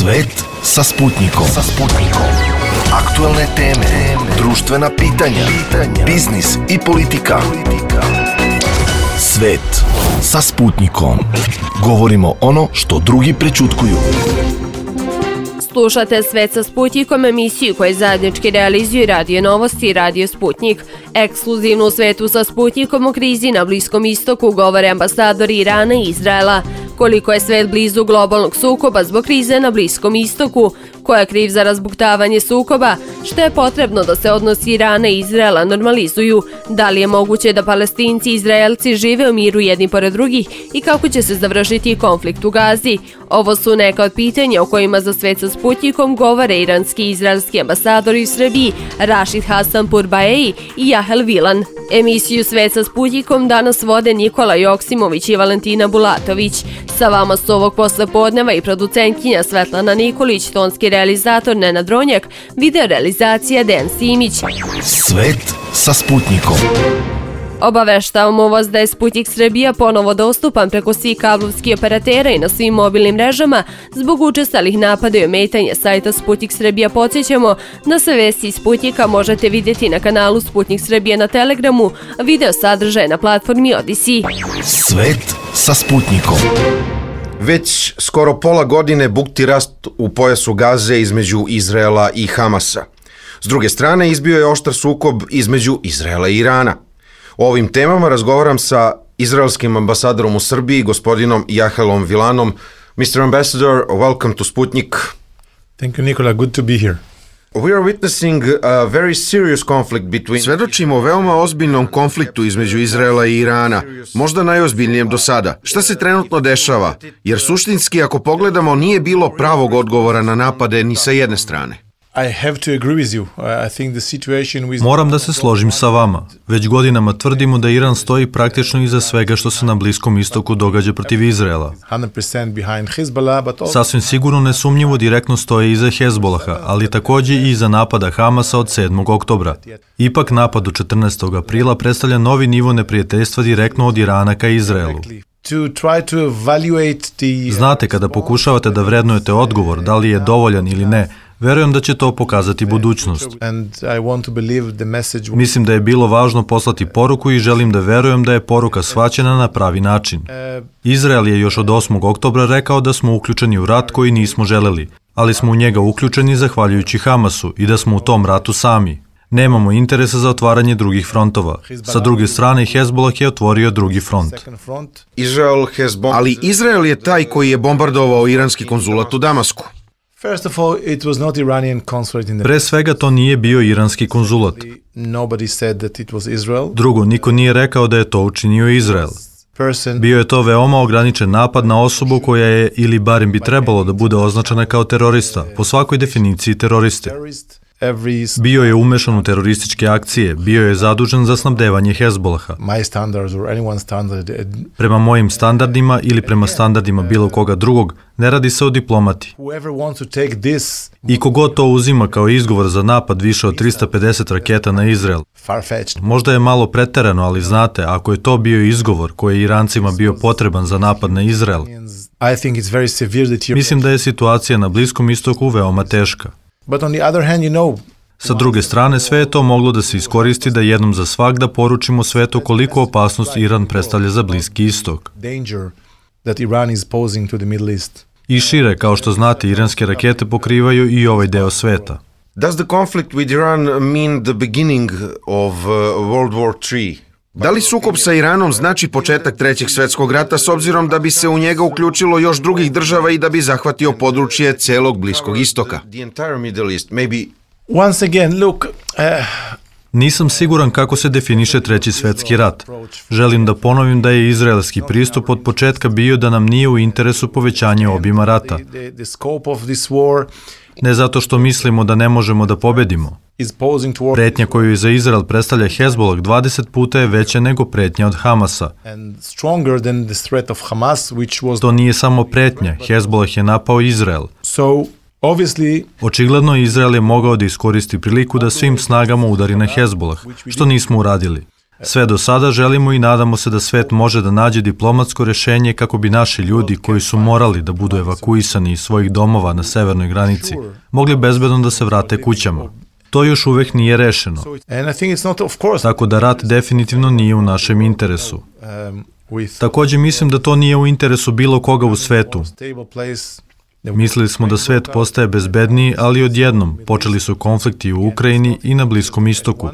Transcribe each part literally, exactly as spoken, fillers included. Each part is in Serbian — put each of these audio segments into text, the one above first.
Svet sa Sputnikom. Sa Sputnikom. Aktuelne teme, društvena pitanja, pitanja, biznis i politika. Svet sa Sputnikom. Govorimo ono što drugi prećutkuju. Slušate Svet sa Sputnikom, emisiju koju zajednički realizuju Radio Novosti i Radio Sputnik. Ekskluzivno u Svetu sa Sputnikom o krizi na Bliskom istoku govore ambasadori Irana i Izraela. Koliko je svet blizu globalnog sukoba zbog krize na Bliskom istoku, ko je kriv za razbuktavanje sukoba, što je potrebno da se odnosi Irana i Izraela normalizuju, da li je moguće da Palestinci i Izraelci žive u miru jedni pored drugih i kako će se završiti konflikt u Gazi. Ovo su neka od pitanja o kojima za Svet sa Sputnikom govore iranski i izraelski ambasadori u Srbiji Rašid Hasanpur Baei i Jahel Vilan. Emisiju Svet sa Sputnikom danas vode Nikola Joksimović i Valentina Bulatović. Sa vama su ovog poslepodneva i producentkinja Svetlana Nikolić, tonski realizator Nenad Dronjak, video realizacija Dejan Simić. Svet sa Sputnikom. Obaveštavamo vas da je Sputnik Srbija ponovo dostupan preko svih kablovskih operatera i na svim mobilnim mrežama. Zbog učestalih napada i ometanja sajta Sputnik Srbija podsjećamo da sve vesti iz Sputnika možete vidjeti na kanalu Sputnik Srbija na Telegramu, video sadržaje na platformi Odisi. Svet sa Sputnikom. Već skoro pola godine bukti rast u pojasu Gaze između Izraela i Hamasa. S druge strane, izbio je oštar sukob između Izraela i Irana. O ovim temama razgovaram sa izraelskim ambasadorom u Srbiji, gospodinom Jahelom Vilanom. mister Ambassador, welcome to Sputnik. Thank you, Nikola. Good to be here. We are witnessing a very serious conflict between... Svedočimo veoma ozbiljnom konfliktu između Izraela i Irana, možda najozbiljnijem do sada. Šta se trenutno dešava? Jer suštinski, ako pogledamo, nije bilo pravog odgovora na napade ni sa jedne strane. I have to agree with you. I think the situation with... Moram da se složim sa vama. Već godinama tvrdimo da Iran stoji praktično iza svega što se na Bliskom istoku događa protiv Izraela. one hundred percent behind Hezbollah, but also... Sasvim sigurno nesumnjivo direktno stoji iza Hezbolaha, ali takođe i iza napada Hamasa od sedmog oktobra. Ipak napad od četrnaestog aprila predstavlja novi nivo neprijateljstva direktno od Irana ka Izraelu. To try to evaluate the... Znate, kada pokušavate da vrednujete odgovor, da li je dovoljan ili ne, verujem da će to pokazati budućnost. Mislim da je bilo važno poslati poruku i želim da verujem da je poruka shvaćena na pravi način. Izrael je još od osmog oktobra rekao da smo uključeni u rat koji nismo želeli, ali smo u njega uključeni zahvaljujući Hamasu i da smo u tom ratu sami. Nemamo interesa za otvaranje drugih frontova. Sa druge strane, Hezbolah je otvorio drugi front. Izrael has bom... Ali Izrael je taj koji je bombardovao iranski konzulat u Damasku. First of all, it was not Iranian consulate in the... Pre svega to nije bio iranski konzulat. Nobody said that it was Israel. Drugo, niko nije rekao da je to učinio Izrael. Bio je to veoma ograničen napad na osobu koja je, ili barem bi trebalo da bude označena kao terorista, po svakoj definiciji teroriste. Bio je umešan u terorističke akcije, bio je zadužen za snabdevanje Hezbolaha. Prema mojim standardima ili prema standardima bilo koga drugog, ne radi se o diplomati. I kogod to uzima kao izgovor za napad više od trista pedeset raketa na Izrael. Možda je malo preterano, ali znate, ako je to bio izgovor koji je Irancima bio potreban za napad na Izrael, mislim da je situacija na Bliskom istoku veoma teška. But on the other hand, you know, Sa druge strane, sve je to moglo da se iskoristi da jednom za svagda poručimo svetu koliko opasnost Iran predstavlja za Bliski istok. I šire, kao što znate, iranske rakete pokrivaju i ovaj deo sveta. Does the conflict with Iran mean the beginning of uh, World War three? Da li sukob sa Iranom znači početak Trećeg svetskog rata s obzirom da bi se u njega uključilo još drugih država i da bi zahvatio područje celog Bliskog istoka? Once again, look, uh... Nisam siguran kako se definiše Treći svetski rat. Želim da ponovim da je izraelski pristup od početka bio da nam nije u interesu povećanje obima rata. Ne zato što mislimo da ne možemo da pobedimo. Pretnja koju za Izrael predstavlja Hezbolah dvadeset puta je veća nego pretnja od Hamasa. To nije samo pretnja, Hezbolah je napao Izrael. Očigledno Izrael je mogao da iskoristi priliku da svim snagama udari na Hezbolah, što nismo uradili. Sve do sada želimo i nadamo se da svet može da nađe diplomatsko rešenje kako bi naši ljudi koji su morali da budu evakuisani iz svojih domova na severnoj granici mogli bezbedno da se vrate kućama. To još uvek nije rešeno. Tako da rat definitivno nije u našem interesu. Takođe mislim da to nije u interesu bilo koga u svetu. Mislili smo da svet postaje bezbedniji, ali odjednom počeli su konflikti u Ukrajini i na Bliskom istoku.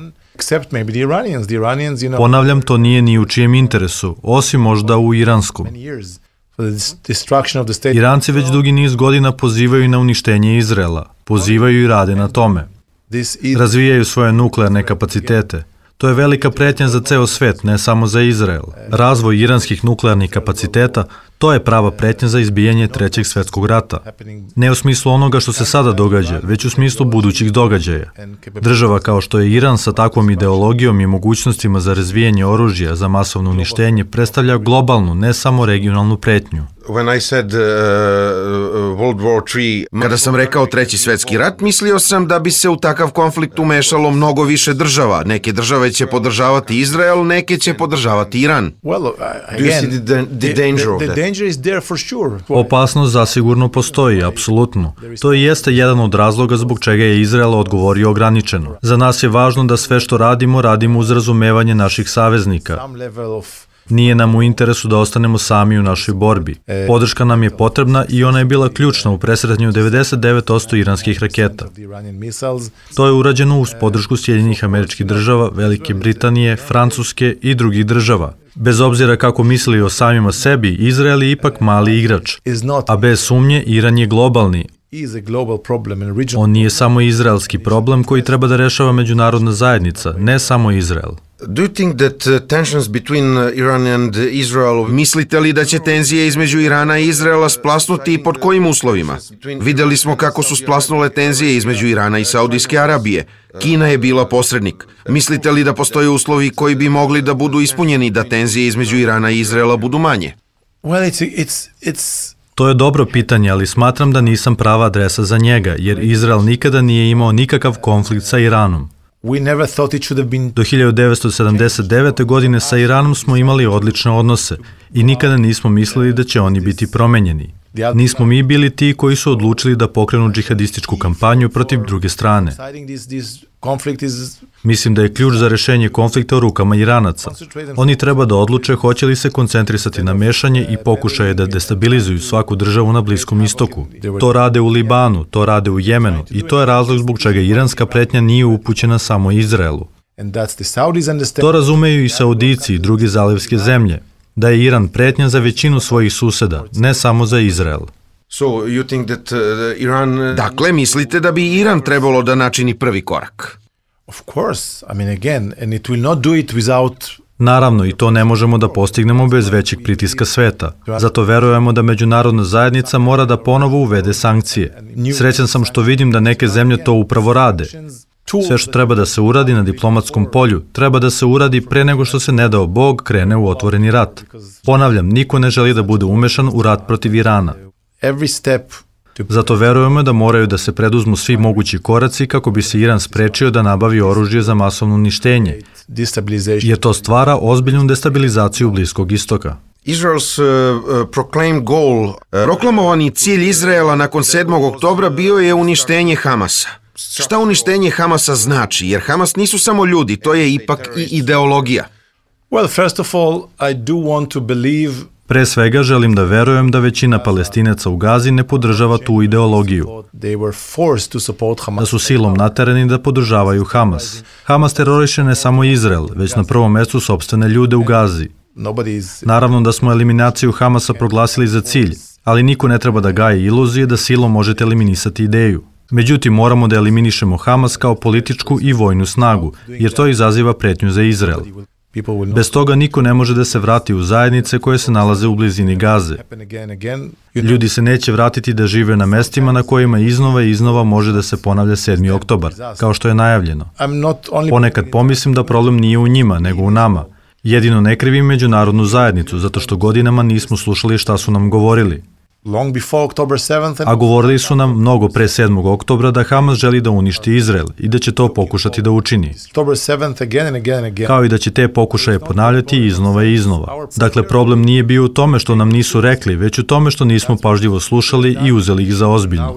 Ponavljam, to nije ni u čijem interesu, osim možda u iranskom. Iranci već dugi niz godina pozivaju na uništenje Izraela, pozivaju i rade na tome. Razvijaju svoje nuklearne kapacitete. To je velika pretnja za ceo svet, ne samo za Izrael. Razvoj iranskih nuklearnih kapaciteta, to je prava pretnja za izbijanje Trećeg svetskog rata. Ne u smislu onoga što se sada događa, već u smislu budućih događaja. Država kao što je Iran sa takvom ideologijom i mogućnostima za razvijanje oružja za masovno uništenje predstavlja globalnu, ne samo regionalnu pretnju. When I said uh, World War three, kada sam rekao Treći svetski rat, mislio sam da bi se u takav konflikt umešalo mnogo više država. Neke države će podržavati Izrael, neke će podržavati Iran. Do you see the, the danger of that? Opasnost zasigurno postoji, apsolutno. To i jeste jedan od razloga zbog čega je Izrael odgovorio ograničeno. Za nas je važno da sve što radimo, radimo uz razumevanje naših saveznika. Nije nam u interesu da ostanemo sami u našoj borbi. Podrška nam je potrebna i ona je bila ključna u presretanju devedeset devet posto iranskih raketa. To je urađeno uz podršku Sjedinjenih Američkih Država, Velike Britanije, Francuske i drugih država. Bez obzira kako mislili o samima sebi, Izrael je ipak mali igrač, a bez sumnje Iran je globalni. On nije samo izraelski problem koji treba da rešava međunarodna zajednica, ne samo Izrael. Do you think that uh, tensions between uh, Iran and Israel, mislite li da će tenzije između Irana i Izraela splasnuti i pod kojim uslovima? Videli smo kako su splasnule tenzije između Irana i Saudijske Arabije. Kina je bila posrednik. Mislite li da postoje uslovi koji bi mogli da budu ispunjeni da tenzije između Irana i Izraela budu manje? Well, it's, it's, it's... To je dobro pitanje, ali smatram da nisam prava adresa za njega, jer Izrael nikada nije imao nikakav konflikt sa Iranom. Do hiljadu devetsto sedamdeset devete. godine sa Iranom smo imali odlične odnose i nikada nismo mislili da će oni biti promenjeni. Nismo mi bili ti koji su odlučili da pokrenu džihadističku kampanju protiv druge strane. Mislim da je ključ za rešenje konflikta u rukama Iranaca. Oni treba da odluče hoće li se koncentrisati na mešanje i pokušaje da destabilizuju svaku državu na Bliskom istoku. To rade u Libanu, to rade u Jemenu i to je razlog zbog čega iranska pretnja nije upućena samo Izraelu. To razumeju i Saudici i druge zalivske zemlje, da je Iran pretnja za većinu svojih suseda, ne samo za Izrael. So you think that uh, Iran... Dakle, mislite da bi Iran trebalo da načini prvi korak? Of course. I mean, again, and it will not do it without... Naravno, i to ne možemo da postignemo bez većeg pritiska sveta. Zato verujemo da međunarodna zajednica mora da ponovo uvede sankcije. Srećan sam što vidim da neke zemlje to upravo rade. Sve što treba da se uradi na diplomatskom polju, treba da se uradi pre nego što se ne dao Bog krene u otvoreni rat. Ponavljam, niko ne želi da bude umešan u rat protiv Irana. Zato verujemo da moraju da se preduzmu svi mogući koraci kako bi se Iran sprečio da nabavi oružje za masovno uništenje, jer to stvara ozbiljnu destabilizaciju Bliskog istoka. Israel's uh, proclaimed goal, uh, proklamovani cilj Izraela nakon sedmog oktobra bio je uništenje Hamasa. Šta uništenje Hamasa znači? Jer Hamas nisu samo ljudi, to je ipak i ideologija. Well, first of all, I do want to believe... Pre svega želim da verujem da većina Palestinaca u Gazi ne podržava tu ideologiju, da su silom naterani da podržavaju Hamas. Hamas teroriše ne samo Izrael, već na prvom mestu sopstvene ljude u Gazi. Naravno da smo eliminaciju Hamasa proglasili za cilj, ali niko ne treba da gaji iluzije da silom možete eliminisati ideju. Međutim, moramo da eliminišemo Hamas kao političku i vojnu snagu, jer to izaziva pretnju za Izrael. Bez toga niko ne može da se vrati u zajednice koje se nalaze u blizini Gaze. Ljudi se neće vratiti da žive na mestima na kojima iznova i iznova može da se ponavlja sedmi oktobar, kao što je najavljeno. Ponekad pomislim da problem nije u njima, nego u nama. Jedino ne krivim međunarodnu zajednicu, zato što godinama nismo slušali šta su nam govorili. long before October seventh. A govorili su nam mnogo pre sedmog oktobra da Hamas želi da uništi Izrael i da će to pokušati da učini. October seventh again and again and again. Kao i da će te pokušaje ponavljati iznova i iznova. Dakle, problem nije bio u tome što nam nisu rekli, već u tome što nismo pažljivo slušali i uzeli ih za ozbiljno.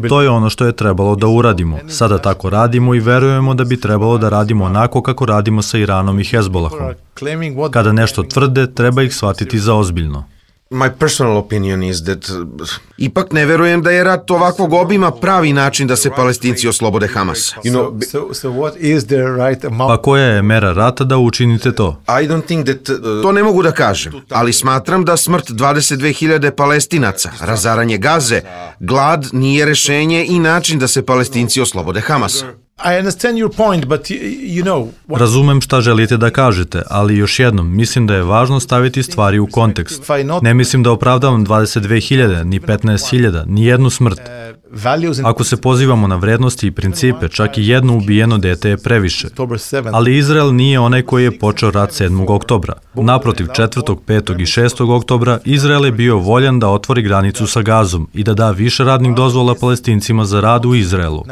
To je ono što je trebalo da uradimo. Sada tako radimo i verujemo da bi trebalo da radimo onako kako radimo sa Iranom i Hezbolahom. Kada nešto tvrde, treba ih shvatiti za ozbiljno. My personal opinion is that uh, ipak ne verujem da je rat ovakvog obima pravi način da se Palestinci oslobode Hamasa. You know, so, so what is the right amount? Pa koja je mera rata da učinite to? I don't think that, uh, to ne mogu da kažem, ali smatram da smrt dvadeset dve hiljade Palestinaca, razaranje Gaze, glad nije rešenje i način da se Palestinci oslobode Hamasa. I understand your point, but you know... What... Razumem šta želite da kažete, ali još jednom, mislim da je važno staviti stvari u kontekst. Ne mislim da opravdavam dvadeset dve hiljade, ni petnaest hiljada, ni jednu smrt. Ako se pozivamo na vrednosti i principe, čak i jedno ubijeno dete je previše. Ali Izrael nije onaj koji je počeo rat sedmog oktobra. Naprotiv, četvrtog, petog i šestog oktobra, Izrael je bio voljan da otvori granicu sa Gazom i da da više radnih dozvola Palestincima za rad u Izraelu.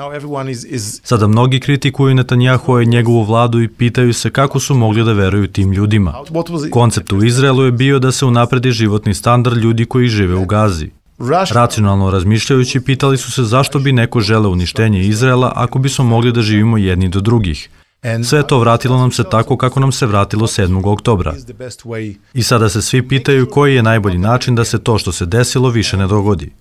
Sada mnogi kritikuju Netanjahua i njegovu vladu i pitaju se kako su mogli da veruju tim ljudima. Koncept u Izraelu je bio da se unapredi životni standard ljudi koji žive u Gazi. Racionalno razmišljajući, pitali su se zašto bi neko želeo uništenje Izraela ako bismo mogli da živimo jedni do drugih. Sve to vratilo nam se tako kako nam se vratilo sedmog oktobra. I sada se svi pitaju koji je najbolji način da se to što se desilo više ne dogodi.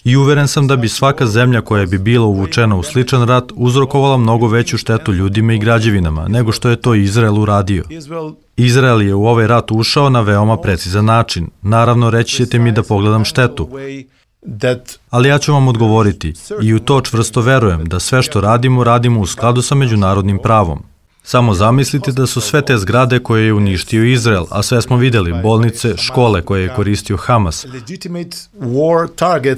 I uveren sam da bi svaka zemlja koja bi bila uvučena u sličan rat uzrokovala mnogo veću štetu ljudima i građevinama nego što je to Izrael uradio. Izrael je u ovaj rat ušao na veoma precizan način. Naravno, reći ćete mi da pogledam štetu. Ali ja ću vam odgovoriti i u to čvrsto verujem da sve što radimo, radimo u skladu sa međunarodnim pravom. Samo zamislite da su sve te zgrade koje je uništio Izrael, a sve smo videli, bolnice, škole koje je koristio Hamas,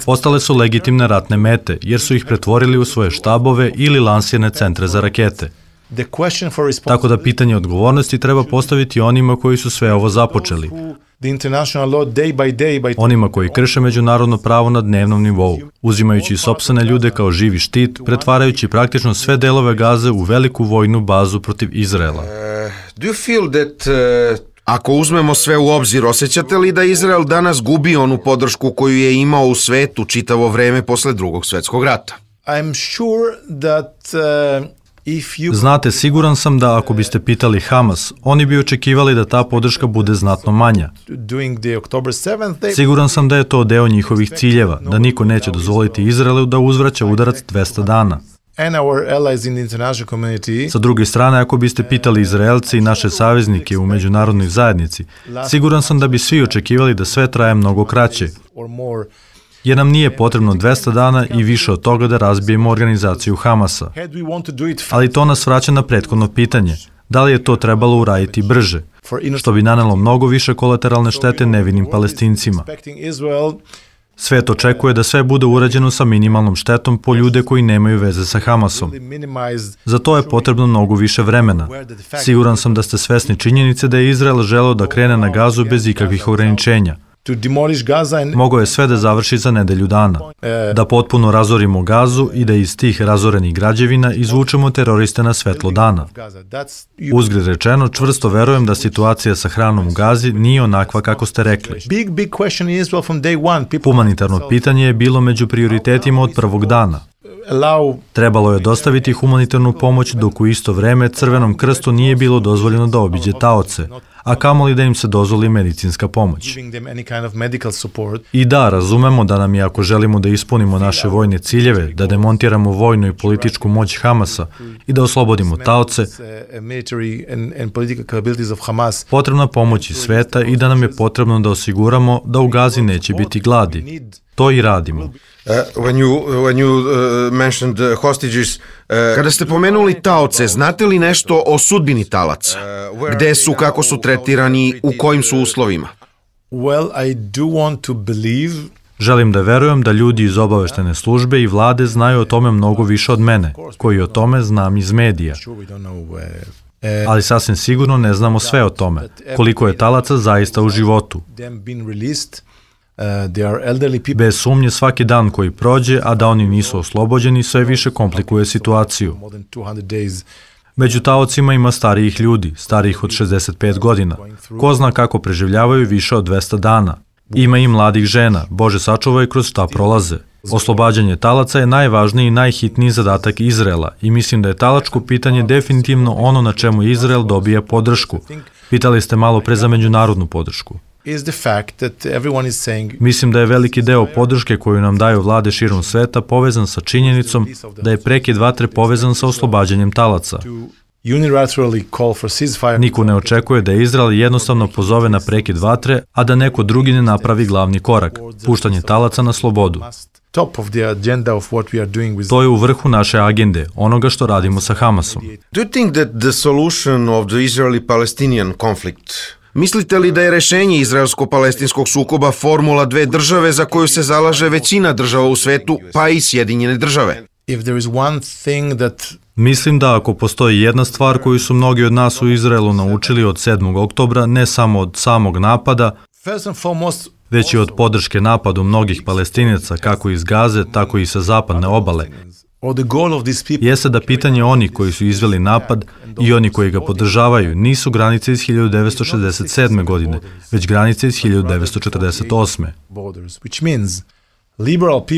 postale su legitimne ratne mete, jer su ih pretvorili u svoje štabove ili lansirne centre za rakete. Tako da pitanje odgovornosti treba postaviti onima koji su sve ovo započeli. Onima koji krše međunarodno pravo na dnevnom nivou, uzimajući sopstvene ljude kao živi štit, pretvarajući praktično sve delove Gaze u veliku vojnu bazu protiv Izraela. Uh, do you feel that, uh, ako uzmemo sve u obzir, osjećate li da Izrael danas gubi onu podršku koju je imao u svetu čitavo vreme posle drugog svetskog rata? I'm sure that... Uh... Znate, siguran sam da ako biste pitali Hamas, oni bi očekivali da ta podrška bude znatno manja. Siguran sam da je to deo njihovih ciljeva, da niko neće dozvoliti Izraelu da uzvraća udarac dvesta dana. Sa druge strane, ako biste pitali Izraelce i naše saveznike u međunarodnoj zajednici, siguran sam da bi svi očekivali da sve traje mnogo kraće, jer nam nije potrebno dvesta dana i više od toga da razbijemo organizaciju Hamasa. Ali to nas vraća na prethodno pitanje. Da li je to trebalo uraditi brže, što bi nanelo mnogo više kolateralne štete nevinim Palestincima? Svet očekuje da sve bude urađeno sa minimalnom štetom po ljude koji nemaju veze sa Hamasom. Za to je potrebno mnogo više vremena. Siguran sam da ste svesni činjenice da je Izrael želeo da krene na Gazu bez ikakvih ograničenja. Mogao je sve da završi za nedelju dana. Da potpuno razorimo Gazu i da iz tih razorenih građevina izvučemo teroriste na svetlo dana. Uzgred rečeno, čvrsto verujem da situacija sa hranom u Gazi nije onakva kako ste rekli. Humanitarno pitanje je bilo među prioritetima od prvog dana. Trebalo je dostaviti humanitarnu pomoć dok u isto vreme Crvenom krstu nije bilo dozvoljeno da obiđe taoce, a kamoli da im se dozvoli medicinska pomoć. I da, razumemo da nam je, ako želimo da ispunimo naše vojne ciljeve, da demontiramo vojnu i političku moć Hamasa i da oslobodimo taoce, potrebna pomoć iz sveta i da nam je potrebno da osiguramo da u Gazi neće biti gladi. To i radimo. Uh, when you, when you uh, mentioned uh, hostages, uh, kada ste pomenuli taoce, znate li nešto o sudbini talaca? Gde su, kako su tretirani, u kojim su uslovima? Well, I do want to believe... Želim da verujem da ljudi iz obaveštene službe i vlade znaju o tome mnogo više od mene, koji o tome znam iz medija. Ali sasvim sigurno ne znamo sve o tome, koliko je talaca zaista u životu. Bez sumnje svaki dan koji prođe, a da oni nisu oslobođeni, sve više komplikuje situaciju. Među taocima ima starijih ljudi, starijih od šezdeset pet godina. Ko zna kako preživljavaju više od dvesta dana. Ima i mladih žena, Bože sačuvaj kroz šta prolaze. Oslobađanje talaca je najvažniji i najhitniji zadatak Izraela i mislim da je talačko pitanje definitivno ono na čemu Izrael dobija podršku. Pitali ste malo pre za međunarodnu podršku. Mislim da je veliki deo podrške koju nam daju vlade širom sveta povezan sa činjenicom da je prekid vatre povezan sa oslobađanjem talaca. Niko ne očekuje da Izrael jednostavno pozove na prekid vatre, a da neko drugi ne napravi glavni korak, puštanje talaca na slobodu. To je u vrhu naše agende, onoga što radimo sa Hamasom. Do you think that the solution of the Israeli-Palestinian conflict Mislite li da je rešenje izraelsko-palestinskog sukoba formula dve države za koju se zalaže većina država u svetu, pa i Sjedinjene države? Mislim da ako postoji jedna stvar koju su mnogi od nas u Izraelu naučili od sedmog oktobra, ne samo od samog napada, već i od podrške napadu mnogih Palestinaca, kako iz Gaze, tako i sa zapadne obale, jeste da pitanje oni koji su izveli napad i oni koji ga podržavaju nisu granice iz hiljadu devetsto šezdeset sedme. godine, već granice iz hiljadu devetsto četrdeset osme.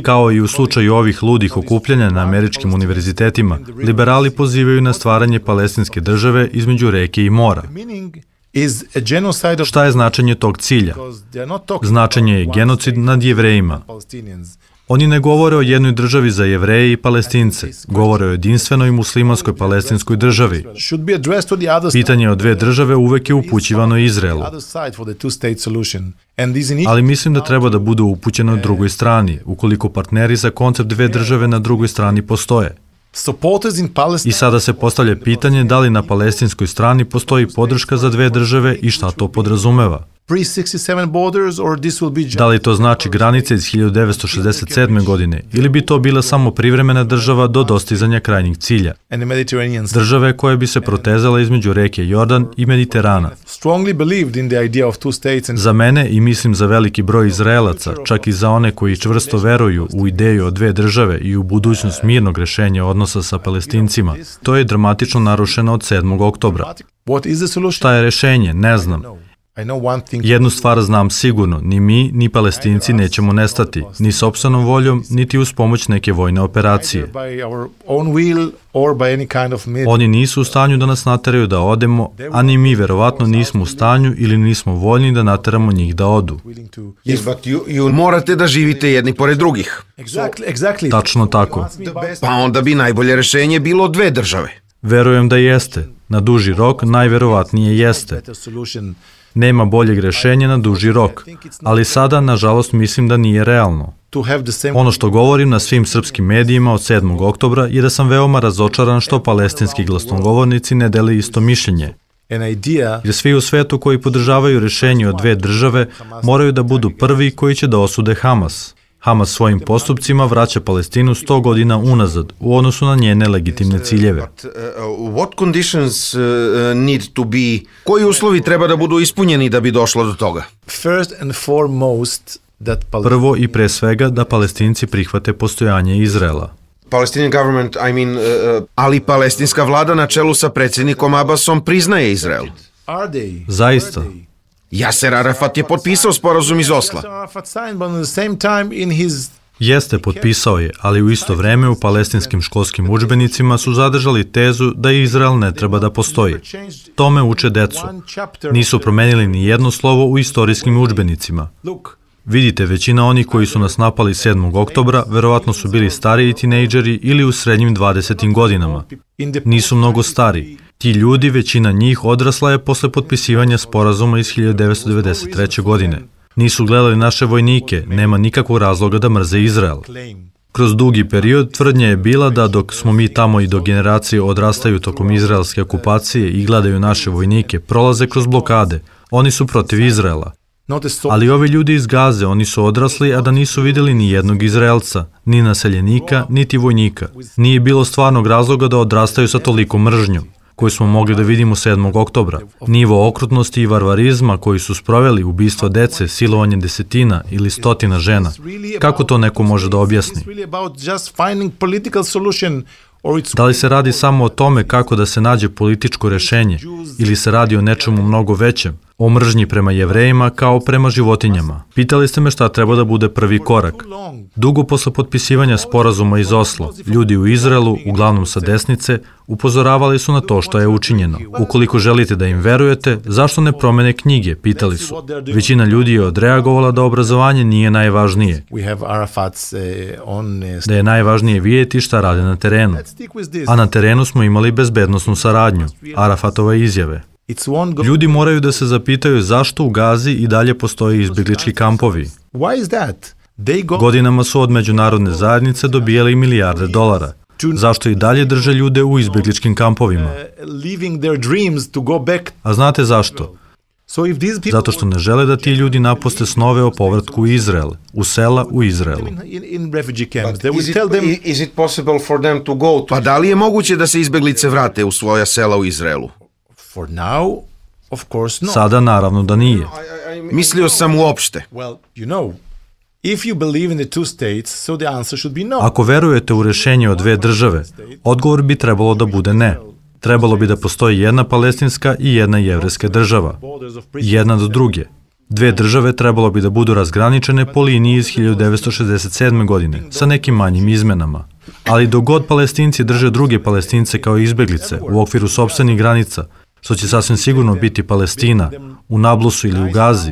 Kao i u slučaju ovih ludih okupljanja na američkim univerzitetima, liberali pozivaju na stvaranje palestinske države između reke i mora. Šta je značenje tog cilja? Značenje je genocid nad Jevrejima. Oni ne govore o jednoj državi za Jevreje i Palestince, govore o jedinstvenoj muslimanskoj palestinskoj državi. Pitanje o dve države uvek je upućivano Izraelu. Ali mislim da treba da bude upućeno drugoj strani, ukoliko partneri za koncept dve države na drugoj strani postoje. I sada se postavlja pitanje da li na palestinskoj strani postoji podrška za dve države i šta to podrazumeva. Da li to znači granice iz hiljadu devetsto šezdeset sedme. godine ili bi to bila samo privremena država do dostizanja krajnjeg cilja? Države koje bi se protezala između reke Jordan i Mediterana. Za mene i mislim za veliki broj Izraelaca, čak i za one koji čvrsto veruju u ideju o dve države i u budućnost mirnog rešenja odnosa sa Palestincima, to je dramatično narušeno od sedmog oktobra. Šta je rešenje? Ne znam. Jednu stvar znam sigurno, ni mi, ni Palestinci nećemo nestati, ni sopstvenom voljom, niti uz pomoć neke vojne operacije. Oni nisu u stanju da nas nateraju da odemo, a ni mi verovatno nismo u stanju ili nismo voljni da nateramo njih da odu. Morate da živite jedni pored drugih. Tačno tako. Pa onda bi najbolje rešenje bilo dve države. Verujem da jeste. Na duži rok najverovatnije jeste. Nema boljeg rešenja na duži rok, ali sada, nažalost, mislim da nije realno. Ono što govorim na svim srpskim medijima od sedmog oktobra je da sam veoma razočaran što palestinski glasnogovornici ne dele isto mišljenje. Jer svi u svetu koji podržavaju rešenje od dve države moraju da budu prvi koji će da osude Hamas. Hamas svojim postupcima vraća Palestinu sto godina unazad u odnosu na njene legitimne ciljeve. What conditions need to be? Koji uslovi treba da budu ispunjeni da bi došlo do toga? Prvo i pre svega da Palestinci prihvate postojanje Izraela. Palestinian government, I mean, uh, ali palestinska vlada na čelu sa predsjednikom Abbasom priznaje Izrael. Zaista. Jaser Arafat je potpisao sporazum iz Osla. Jeste, potpisao je, ali u isto vreme u palestinskim školskim udžbenicima su zadržali tezu da Izrael ne treba da postoji. Tome uče decu. Nisu promenili ni jedno slovo u istorijskim udžbenicima. Vidite, većina onih koji su nas napali sedmog oktobra verovatno su bili stariji tinejdžeri ili u srednjim dvadesetim godinama. Nisu mnogo stari. Ti ljudi, većina njih, odrasla je posle potpisivanja sporazuma iz hiljadu devetsto devedeset treće. godine. Nisu gledali naše vojnike, nema nikakvog razloga da mrze Izrael. Kroz dugi period tvrdnja je bila da dok smo mi tamo i dok generacije odrastaju tokom izraelske okupacije i gledaju naše vojnike, prolaze kroz blokade, oni su protiv Izraela. Ali ovi ljudi iz Gaze, oni su odrasli, a da nisu vidjeli ni jednog Izraelca, ni naseljenika, niti vojnika. Nije bilo stvarnog razloga da odrastaju sa toliko mržnjom. koju smo mogli da vidimo sedmog oktobra. Nivo okrutnosti i varvarizma koji su sproveli ubistvo dece, silovanje desetina ili stotina žena. Kako to neko može da objasni? Da li se radi samo o tome kako da se nađe političko rešenje ili se radi o nečemu mnogo većem, o mržnji prema Jevrejima kao prema životinjama? Pitali ste me šta treba da bude prvi korak. Dugo posle potpisivanja sporazuma iz Oslo, ljudi u Izraelu, uglavnom sa desnice, upozoravali su na to što je učinjeno. Ukoliko želite da im verujete, zašto ne promene knjige, pitali su. Većina ljudi je odreagovala da obrazovanje nije najvažnije. Da je najvažnije vidjeti šta rade na terenu. A na terenu smo imali bezbednosnu saradnju, Arafatove izjave. Ljudi moraju da se zapitaju zašto u Gazi i dalje postoje izbjeglički kampovi. Godinama su od međunarodne zajednice dobijali milijarde dolara. Zašto i dalje drže ljude u izbjegličkim kampovima? A znate zašto? Zato što ne žele da ti ljudi napuste snove o povratku u Izrael, u sela u Izraelu. Pa da li je moguće da se izbjeglice vrate u svoja sela u Izraelu? Sada naravno da nije. Mislio sam uopšte. Ako verujete u rešenje od dve države, odgovor bi trebalo da bude ne. Trebalo bi da postoji jedna palestinska i jedna jevrejska država. Jedna do druge. Dve države trebalo bi da budu razgraničene po liniji iz hiljadu devetsto šezdeset sedme. godine, sa nekim manjim izmenama. Ali dok god Palestinci drže druge Palestince kao izbjeglice u okviru sopstvenih granica, što će sasvim sigurno biti Palestina, u Nablusu ili u Gazi,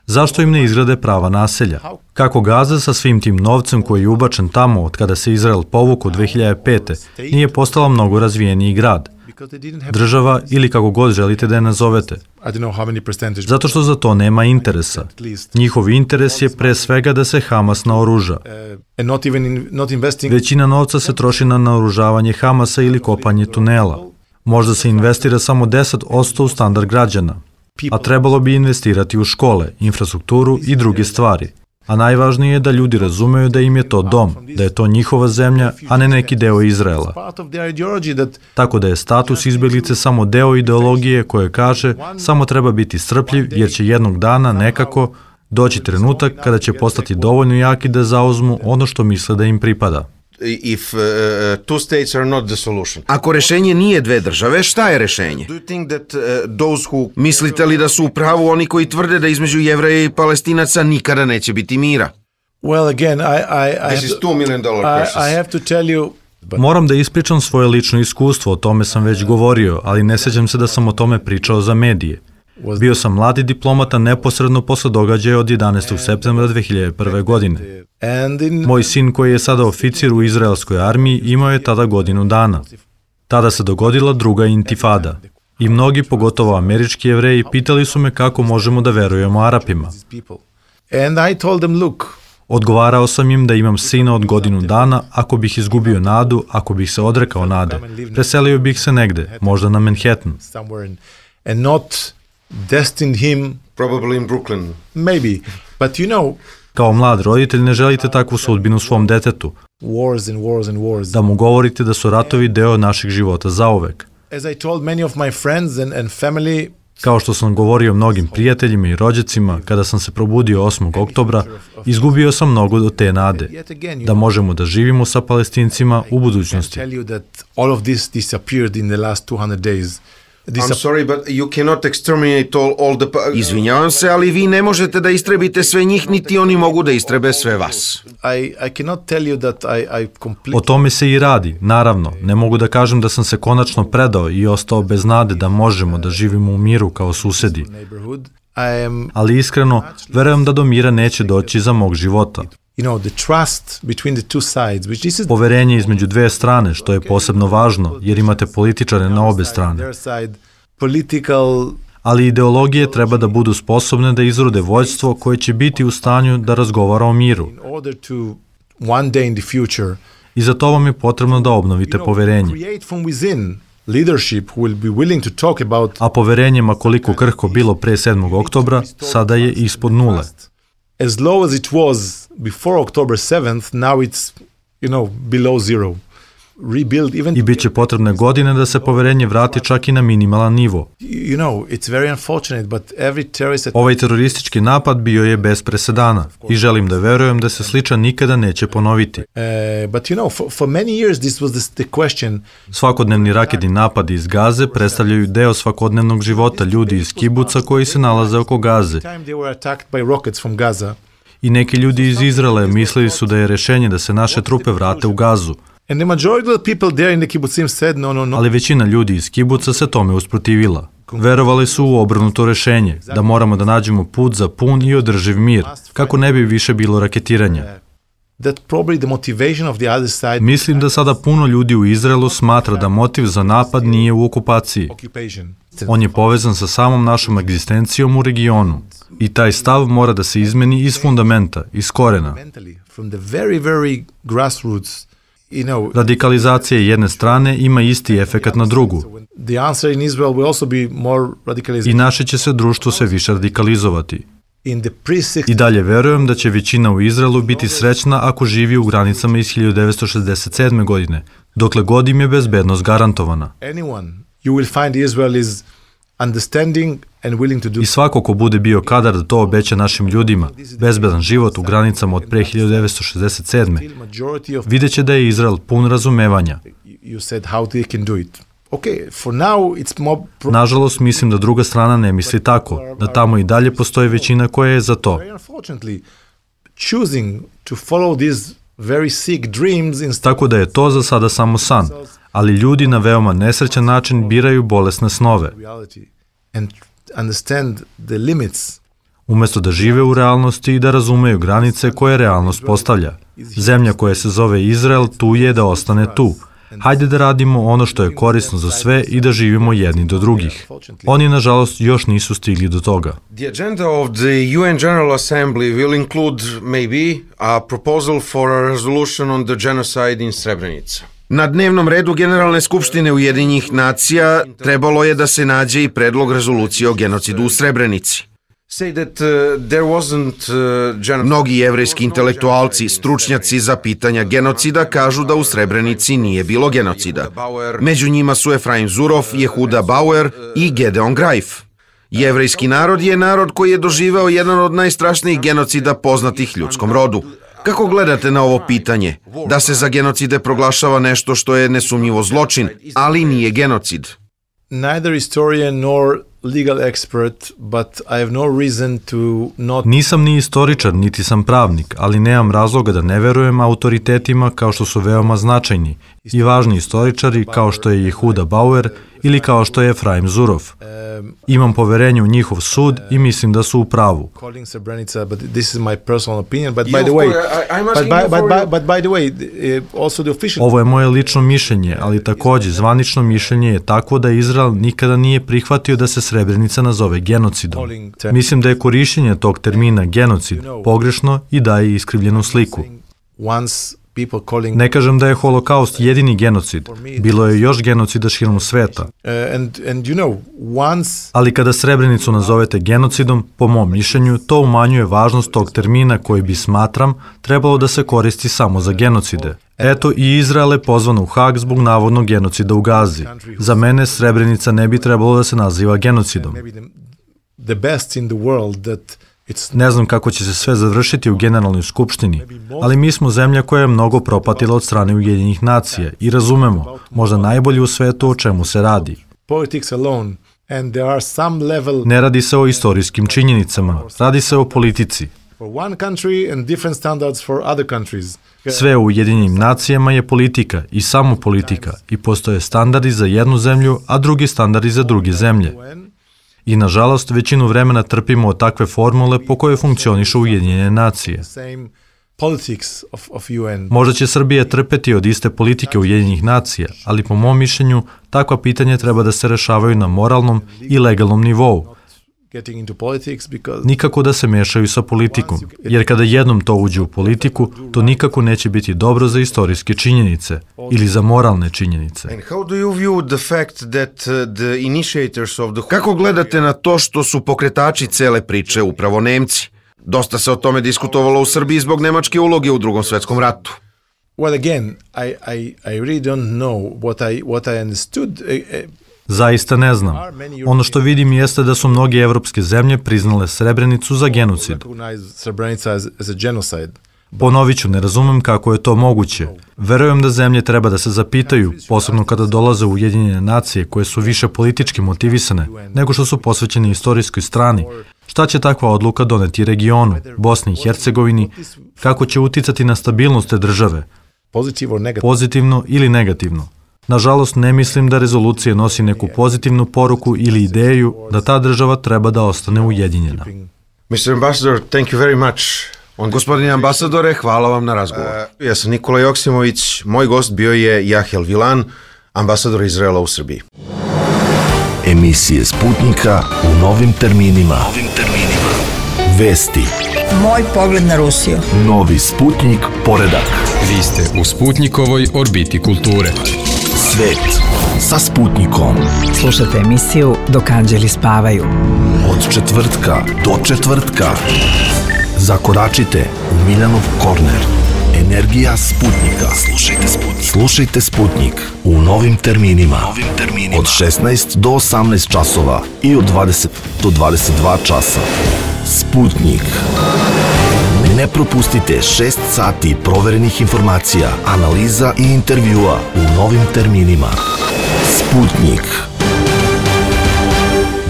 zašto im ne izgrade prava naselja? Kako Gaza sa svim tim novcem koji je ubačen tamo od kada se Izrael povukao dve hiljade pete. nije postala mnogo razvijeniji grad? Država ili kako god želite da je nazovete. Zato što za to nema interesa. Njihov interes je pre svega da se Hamas naoruža. Većina novca se troši na naoružavanje Hamasa ili kopanje tunela. Možda se investira samo deset posto u standard građana, a trebalo bi investirati u škole, infrastrukturu i druge stvari. A najvažnije je da ljudi razumeju da im je to dom, da je to njihova zemlja, a ne neki deo Izraela. Tako da je status izbjeglice samo deo ideologije koje kaže samo treba biti strpljiv jer će jednog dana nekako doći trenutak kada će postati dovoljno jaki da zauzmu ono što misle da im pripada. If uh, two states are not the solution. Ako rešenje nije dve države, šta je rešenje? Do you think that uh, those who Mislite li da su u pravu oni koji tvrde da između Jevreja i Palestinaca nikada neće biti mira? Well, again, I I I This is two million dollar crisis. I, I have to tell you. Moram da ispričam svoje lično iskustvo, o tome sam već govorio, ali ne sjećam se da sam o tome pričao za medije. Bio sam mladi diplomata neposredno posle događaja od jedanaestog septembra dve hiljade prve. godine. Moj sin koji je sada oficir u izraelskoj armiji imao je tada godinu dana. Tada se dogodila druga intifada. I mnogi, pogotovo američki Jevreji, pitali su me kako možemo da verujemo Arapima. Odgovarao sam im da imam sina od godinu dana, ako bih izgubio nadu, ako bih se odrekao nade. Preselio bih se negde, možda na Manhattan. Destined him probably in Brooklyn. Maybe, but you know, kao mlad roditelj ne želite takvu sudbinu svom detetu. Wars and wars and wars. Da mu govorite da su ratovi deo našeg života zauvek. As I told many of my friends and and family, kao što sam govorio mnogim prijateljima i rođacima, kada sam se probudio osmog oktobra, izgubio sam mnogo od te nade, da možemo da živimo sa Palestincima u budućnosti. I'm sorry, but you cannot exterminate all, all the... Izvinjavam se, ali vi ne možete da istrebite sve njih, niti oni mogu da istrebe sve vas. I, I cannot tell you that I, I completely... O tome se i radi, naravno. Ne mogu da kažem da sam se konačno predao i ostao bez nade da možemo da živimo u miru kao susedi. Ali iskreno, verujem da do mira neće doći za mog života. You know, the trust between the two sides, which this is... Poverenje između dve strane, što je posebno važno, jer imate političare na obe strane. Political... Ali ideologije treba da budu sposobne da izrode vođstvo koje će biti u stanju da razgovara o miru. I za to vam je potrebno da obnovite poverenje. A poverenje, ma koliko krhko bilo pre sedmog oktobra, sada je ispod nule. As low as it was before October seventh, now it's, you know, below zero. rebuild even I bit će potrebne godine da se poverenje vrati čak i na minimalan nivo. You know, it's very unfortunate, but every terrorist attack... Ovaj teroristički napad bio je bez presedana i želim da verujem da se sličan nikada neće ponoviti. Uh, but you know, for, for many years this was the, the question. Svakodnevni raketni napadi iz Gaze predstavljaju deo svakodnevnog života ljudi iz kibuca koji se nalaze oko Gaze. Time they were attacked by rockets from Gaza. I neki ljudi iz Izraela mislili su da je rešenje da se naše trupe vrate u Gazu. And the majority of the people there in the kibbutzim said no, no, no. Ali većina ljudi iz kibuca se tome usprotivila. Verovali su u obrnuto rešenje, da moramo da nađemo put za pun i održiv mir, kako ne bi više bilo raketiranja. That probably the motivation of the other side. Mislim da sada puno ljudi u Izraelu smatra da motiv za napad nije u okupaciji. On je povezan sa samom našom egzistencijom u regionu. I taj stav mora da se izmeni iz fundamenta, iz korena. From the very, very grassroots. You know, radikalizacija jedne strane ima isti efekat na drugu. The answer in Israel will also be more radicalized. I naše će se društvo sve više radikalizovati. In the pre- I dalje verujem da će većina u Izraelu biti srećna ako živi u granicama iz hiljadu devetsto šezdeset sedme. godine, dokle god im je bezbednost garantovana. Anyone, you will find Israel is understanding and willing to do. I svako ko bude bio kadar da to obeća našim ljudima, bezbedan život u granicama od pre hiljadu devetsto šezdeset sedme. vidjet će da je Izrael pun razumevanja. You said how they can do it. Okay, for now it's more pro- Nažalost, mislim da druga strana ne misli tako, da tamo i dalje postoji većina koja je za to. Very unfortunately, choosing to follow these very sick dreams instead. Tako da je to za sada samo san, ali ljudi na veoma nesrećan način biraju bolesne snove. And understand the limits. Umesto da žive u realnosti i da razumeju granice koje realnost postavlja. Zemlja koja se zove Izrael tu je da ostane tu. Hajde da radimo ono što je korisno za sve i da živimo jedni do drugih. Oni, nažalost, još nisu stigli do toga. The agenda of the U N General Assembly will include maybe a proposal for a resolution on the genocide in Srebrenica. Na dnevnom redu Generalne skupštine Ujedinjenih nacija trebalo je da se nađe i predlog rezolucije o genocidu u Srebrenici. Mnogi jevrejski intelektualci, stručnjaci za pitanja genocida kažu da u Srebrenici nije bilo genocida. Među njima su Efraim Zurov, Jehuda Bauer i Gedeon Greif. Jevrejski narod je narod koji je doživeo jedan od najstrašnijih genocida poznatih ljudskom rodu. Kako gledate na ovo pitanje? Da se za genocide proglašava nešto što je nesumnjivo zločin, ali nije genocid. Neither historian nor legal expert, but I have no reason to not... Nisam ni istoričar, niti sam pravnik, ali nemam razloga da ne verujem autoritetima kao što su veoma značajni i važni istoričari kao što je Jehuda Bauer ili kao što je Efraim Zurov. Imam poverenje u njihov sud i mislim da su u pravu. Calling Srebrenica, but this is my personal opinion, but by the way, but by, but, by, but by the way, also the official... Ovo je moje lično mišljenje, ali takođe zvanično mišljenje je takvo da Izrael nikada nije prihvatio da se Srebrenica nazove genocidom. Mislim da je korišćenje tog termina genocid pogrešno i daje iskrivljenu sliku. Ne kažem da je holokaust jedini genocid, bilo je još genocida širom sveta. Ali kada Srebrenicu nazovete genocidom, po mom mišljenju, to umanjuje važnost tog termina koji bi, smatram, trebalo da se koristi samo za genocide. Eto, i Izrael je pozvan u Hag zbog navodnog genocida u Gazi. Za mene Srebrenica ne bi trebalo da se naziva genocidom. Ne znam kako će se sve završiti u Generalnoj skupštini, ali mi smo zemlja koja je mnogo propatila od strane Ujedinjenih nacija i razumemo, možda najbolje u svetu o čemu se radi. Ne radi se o istorijskim činjenicama, radi se o politici. Sve u Ujedinjenim nacijama je politika i samo politika i postoje standardi za jednu zemlju, a drugi standardi za druge zemlje. I, nažalost, većinu vremena trpimo od takve formule po kojoj funkcionišu Ujedinjene nacije. Možda će Srbija trpeti od iste politike Ujedinjenih nacija, ali po mom mišljenju takva pitanja treba da se rešavaju na moralnom i legalnom nivou. Nikako da se mešaju sa politikom, jer kada jednom to uđe u politiku, to nikako neće biti dobro za istorijske činjenice ili za moralne činjenice. Kako gledate na to što su pokretači cele priče upravo Nemci? Dosta se o tome diskutovalo u Srbiji zbog nemačke uloge u Drugom svetskom ratu. Well, again, I, I, I really don't know what I, what I understood. Zaista ne znam. Ono što vidim jeste da su mnoge evropske zemlje priznale Srebrenicu za genocid. Ponovit ću, ne razumem kako je to moguće. Verujem da zemlje treba da se zapitaju, posebno kada dolaze u Ujedinjene nacije koje su više politički motivisane nego što su posvećene istorijskoj strani. Šta će takva odluka doneti regionu, Bosni i Hercegovini, kako će uticati na stabilnost te države, pozitivno ili negativno. Nažalost, ne mislim da rezolucija nosi neku pozitivnu poruku ili ideju da ta država treba da ostane ujedinjena. mister Ambassador, thank you very much. Gospodine ambasadore, hvala vam na razgovor. Uh, ja sam Nikola Joksimović, moj gost bio je Jahel Vilan, ambasador Izraela u Srbiji. Emisije Sputnika u novim terminima. Novim terminima. Vesti. Moj pogled na Rusiju. Novi Sputnik poredak. Vi ste u Sputnikovoj orbiti kulture. Svet sa Sputnikom. Slušajte emisiju Dok anđeli spavaju. Od četvrtka do četvrtka. Zakoračite u Miljanov korner. Energija Sputnika. Slušajte Sputnik. Slušajte Sputnik u novim terminima. Novim terminima. Od šesnaest do osamnaest časova i od dvadeset do dvadeset dva časa. Sputnik. Ne propustite šest sati proverenih informacija, analiza i intervjua u novim terminima. Sputnik.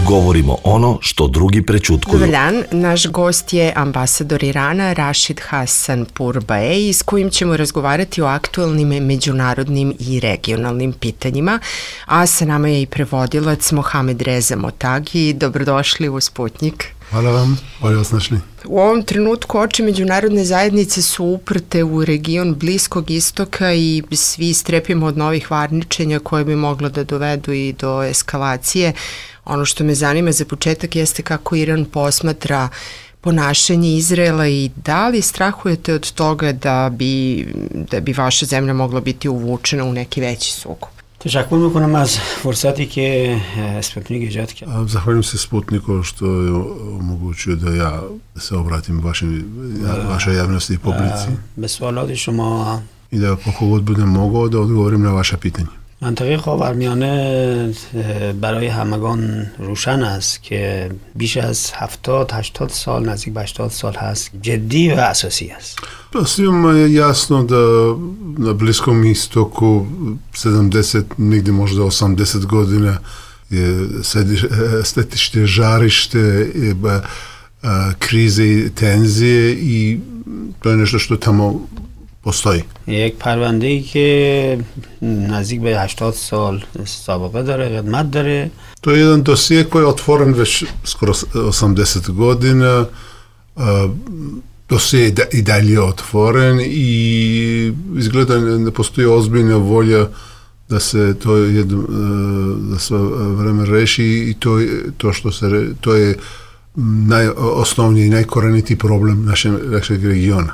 Govorimo ono što drugi prećutkuju. Dobar dan, naš gost je ambasador Irana Rashid Hassan Pourbaix, s kojim ćemo razgovarati o aktuelnim međunarodnim i regionalnim pitanjima, a sa nama je i prevodilac Mohamed Reza Motagi. Dobrodošli u Sputnik. Hvala vam, bolje vas našli. U ovom trenutku oči međunarodne zajednice su uprte u region Bliskog istoka i svi strepimo od novih varničenja koje bi moglo da dovedu i do eskalacije. Ono što me zanima za početak jeste kako Iran posmatra ponašanje Izraela i da li strahujete od toga da bi, da bi vaša zemlja mogla biti uvučena u neki veći sukob? تشکر میکنم از فرصتی که اسپوتنیک ایجاد کرد. Zahvaljujem se Sputniku što je omogućio da ja se obratim vašim, vašoj javnosti i publici. به سوالات شما I da koliko god budem mogao da odgovorim na vaša pitanja. منطقه خاورمیانه برای همگان روشن است که بیش از هفتاد هشتاد سال نزدیک به هشتاد سال هست جدی و اساسی است. Svima je jasno da na Bliskom istoku sedamdeset, negdje možda osamdeset godina je stetište, žarište, krize i tenzije i to je nešto što tamo postoji. یک پرونده‌ای که نزدیک به هشتاد سال سابقه داره، قدمت داره. To je jedan dosije koji je otvoren već skoro osamdeset godina. Dosije je i dalje otvoren i izgleda da postoji ozbiljna volja da se to jedno, da se vreme reši i to, to što se to je najosnovniji i najkorenitiji problem našeg, našeg regiona.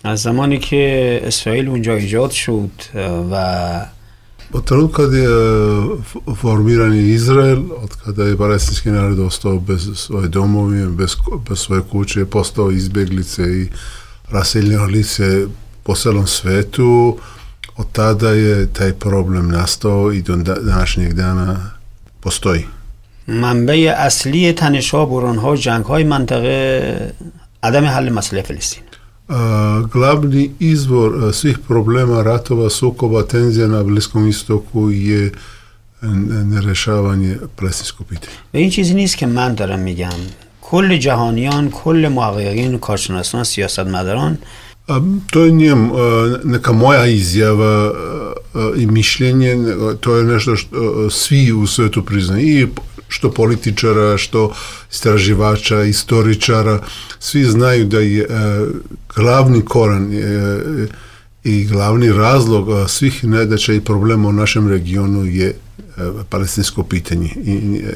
از زمانی که اسرائیل اونجا ایجاد شد و od trenutka kad je formiran Izrael, od kada je palestinski narod ostao bez svoje domovine, bez, bez svoje kuće, postao izbjeglice i raseljeno lice po celom svetu, od tada je taj problem nastao i do današnjeg dana postoji. منبع اصلی تنش‌ها، بحران‌ها و جنگ‌های منطقه عدم حل مسئله فلسطین. Uh, glavni izvor uh, svih problema, ratova, sukoba, tenzija na Bliskom istoku je nerešavanje palestinskog pitanja. و این چیزی نیست که من دارم میگم. کل جهانیان، کل محققین، کارشناسان، سیاستمداران To je njem uh, neka moja izjava uh, i mišljenje, to je nešto što uh, svi u svetu priznaju, i što političara, što istraživača, istoričara, svi znaju da je uh, glavni koran uh, i glavni razlog uh, svih nedaća i problema u našem regionu je uh, palestinsko pitanje i,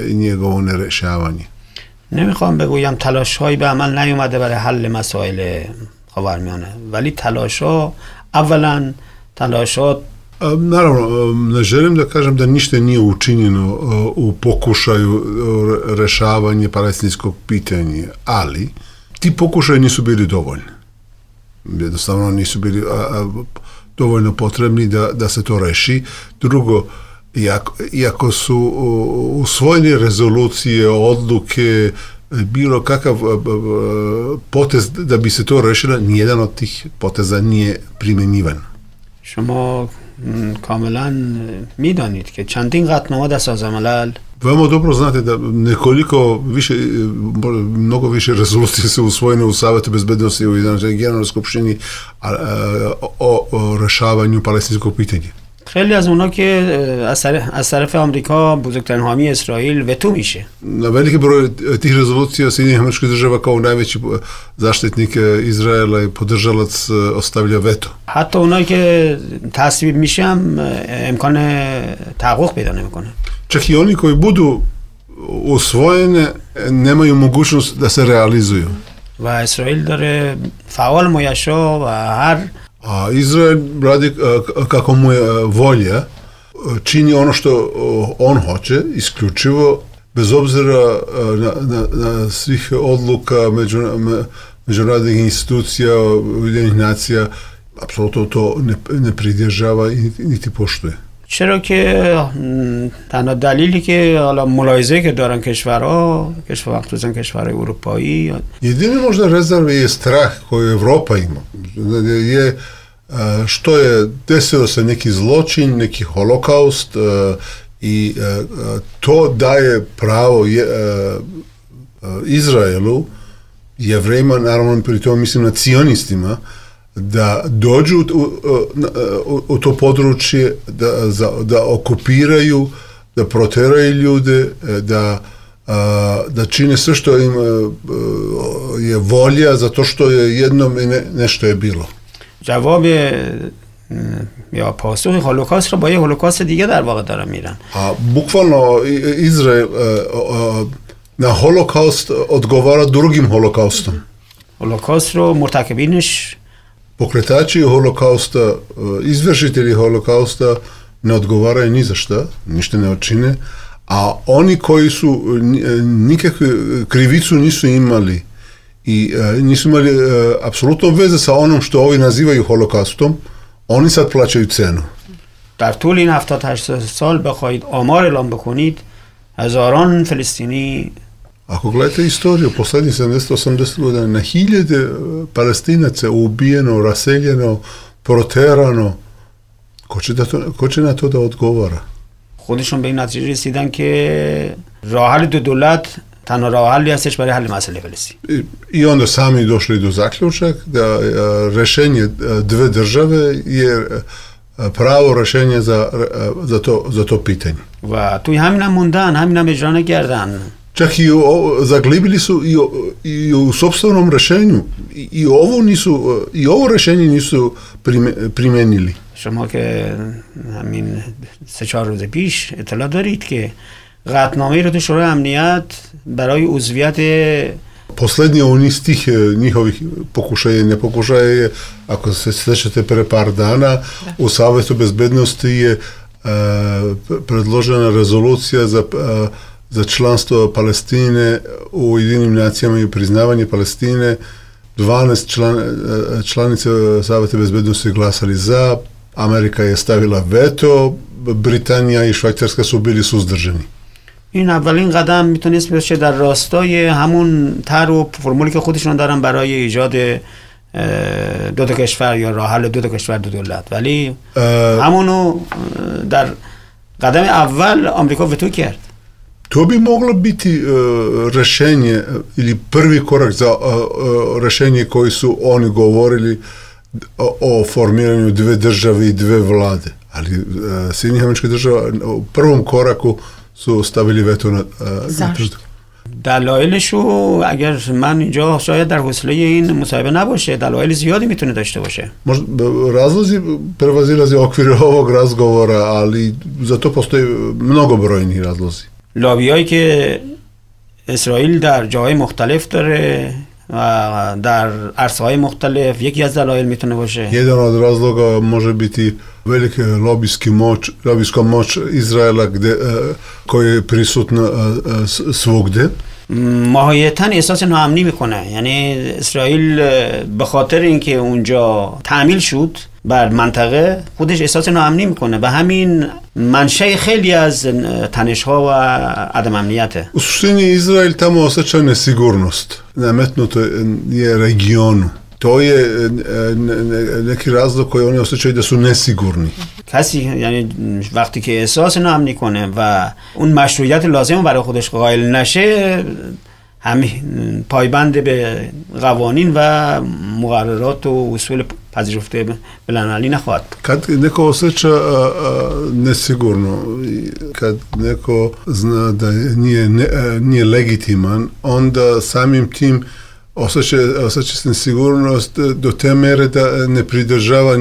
i njegovo nerešavanje. نمیخوام بگویم تلاش‌هایی به عمل نیومده برای حل مسائل خاورمیانه ولی تلاش‌ها اولا تلاشات Naravno, ne želim da kažem da ništa nije učinjeno u pokušaju rešavanja palestinskog pitanja, ali ti pokušaji nisu bili dovoljni. Jednostavno nisu bili, dovoljno potrebni da, da se to reši. Drugo, iako, iako su usvojene rezolucije, odluke, bilo kakav potez da bi se to rešilo, nijedan od tih poteza nije primjenjivan. شما کاملا میدانید که چندین قطعنامه در سازمان ملل Veoma dobro znate da nekoliko više, mnogo više rezolucije se usvojene u Savetu bezbednosti u Generalnoj skupštini o, o rešavanju palestinskog pitanja. خیلی از اونا که از طرف آمریکا بزرگترین حامی اسرائیل وتو میشه. Na veliki broj tih rezolucija Sjedinjenih Američkih Država kao najveći zaštitnik Izraela i podržalac ostavlja veto. حتی اونایی که تصویب میشن امکان تحقق پیدا نمیکنه. Čak i oni koji budu usvojene nemaju mogućnost da se realizuju. و اسرائیل داره فعال میشه و هر A Izrael radi kako mu je volja, čini ono što on hoće, isključivo, bez obzira na, na, na svih odluka među, međunarodnih institucija, Ujedinjenih nacija, apsolutno to ne, ne pridržava i niti poštuje. چرا که تنها دلیلی که حالا ملاحظه که دارن کشورها کشور خصوصا کشورهای اروپایی jedini možda rezerve je strah koji Evropa ima je što je desio se neki zločin, neki holokaust i to daje pravo je, Izraelu, Jevrejima, naravno pri tome mislim na cionistima, da dođu u, u, u to područje, da, za, da okupiraju, da proteraju ljude, da, da čine sve što im je volja, zato što je jednom ne, nešto je bilo. جواب یا پاسخ هولوکاست رو با یه هولوکاست دیگه در واقع دارن میرن. A bukvalno Izrael na holokaust odgovara drugim holokaustom. هولوکاست رو مرتکبینش Pokretači holokausta, izvršitelji holokausta ne odgovaraju ni za šta, ništa ne očine, a oni koji su nikakve krivicu nisu imali i nisu imali apsolutno veze sa onom što ovi nazivaju holokaustom, oni sad plaćaju cenu. در طول این هفتاد هشتاد سال بخواید آمار اعلام بکنید هزاران فلسطینی Ako gledate istoriju, poslednjih sedamdeset osamdeset godina, na hiljade Palestinaca ubijeno, raseljeno, proterano, ko će, da to, ko će na to da odgovara? خودشون به این نتیجه رسیدن که راه حل دو دولت تنها راه حلی هستش برای حل مسئله فلسطین. I, I onda sami došli do zaključak da rešenje dve države je pravo rešenje za, za, to, za to pitanje. و توی همین هم موندن، همین هم اجرا نکردن. Čak i o, zaglibili su i, o, i u sopstvenom rešenju i, i ovo nisu i ovo rešenje nisu prime, primenili. شما که همین سه چهار روز پیش اطلاع دارید که قطعنامه رو تو شورای امنیت برای عضویت Poslednji u niz tih njihovih pokušaja i nepokušaja je, ako se sećate pre par dana, da. U Savetu bezbednosti je uh, predložena rezolucija za uh, za članstvo Palestine u Ujedinjenim nacijama i priznavanje Palestine. dvanaest član, članice Saveta bezbednosti glasali za, Amerika je stavila veto, Britannia i Švajcarska su bili suzdržani. این اولین قدم میتونست باشه در راستای همون طرح و فرمولی که خودشون دارن برای ایجاد دو تا کشور یا راه حل دو تا کشور دو دولت، ولی همونو در قدم اول آمریکا وتو کرد. To bi moglo biti uh, rešenje ili prvi korak za uh, uh, rešenje koji su oni govorili o, o formiranju dve države i dve vlade. Ali uh, Sjedinjenih Američkih Država u prvom koraku su stavili veto na... Uh, Zašto? دلایلشو اگر من اینجا شاید در حوصله این مصاحبه نباشه، دلایل زیادی میتونه داشته باشه. Razlozi prevazilaze okvire ovog razgovora, ali za to postoji mnogobrojni razlozi. لابیایی که اسرائیل در جاهای مختلف داره و در عرصه‌های مختلف یکی از دلایل میتونه باشه. Jedan od razloga može biti velike lobijski moć, lobijska moć Izraela gde, koja je prisutna svugde. ماهیتاً احساس ناامنی میکنه، یعنی اسرائیل به خاطر اینکه اونجا تعمیل شد بر منطقه خودش احساس ناامنی میکنه و همین منشأ خیلی از تنش‌ها و عدم امنیته. U suštini Izrael tamo osjeća nesigurnost. Nametnuto je regionu. To je neki razlog koji oni osjećaju da su nesigurni. کسی یعنی وقتی که احساس ناامنی کنه و اون مشروعیت لازم برای خودش قائل نشه همین پایبند به قوانین و مقررات و اصول پذیرفته بین‌المللی نخواهد. Kad neko osjeća nesigurno, kad neko zna da nije, ne, nije legitiman, onda samim tim osjeća, osjeća se nesigurnost do te mere da ne pridržava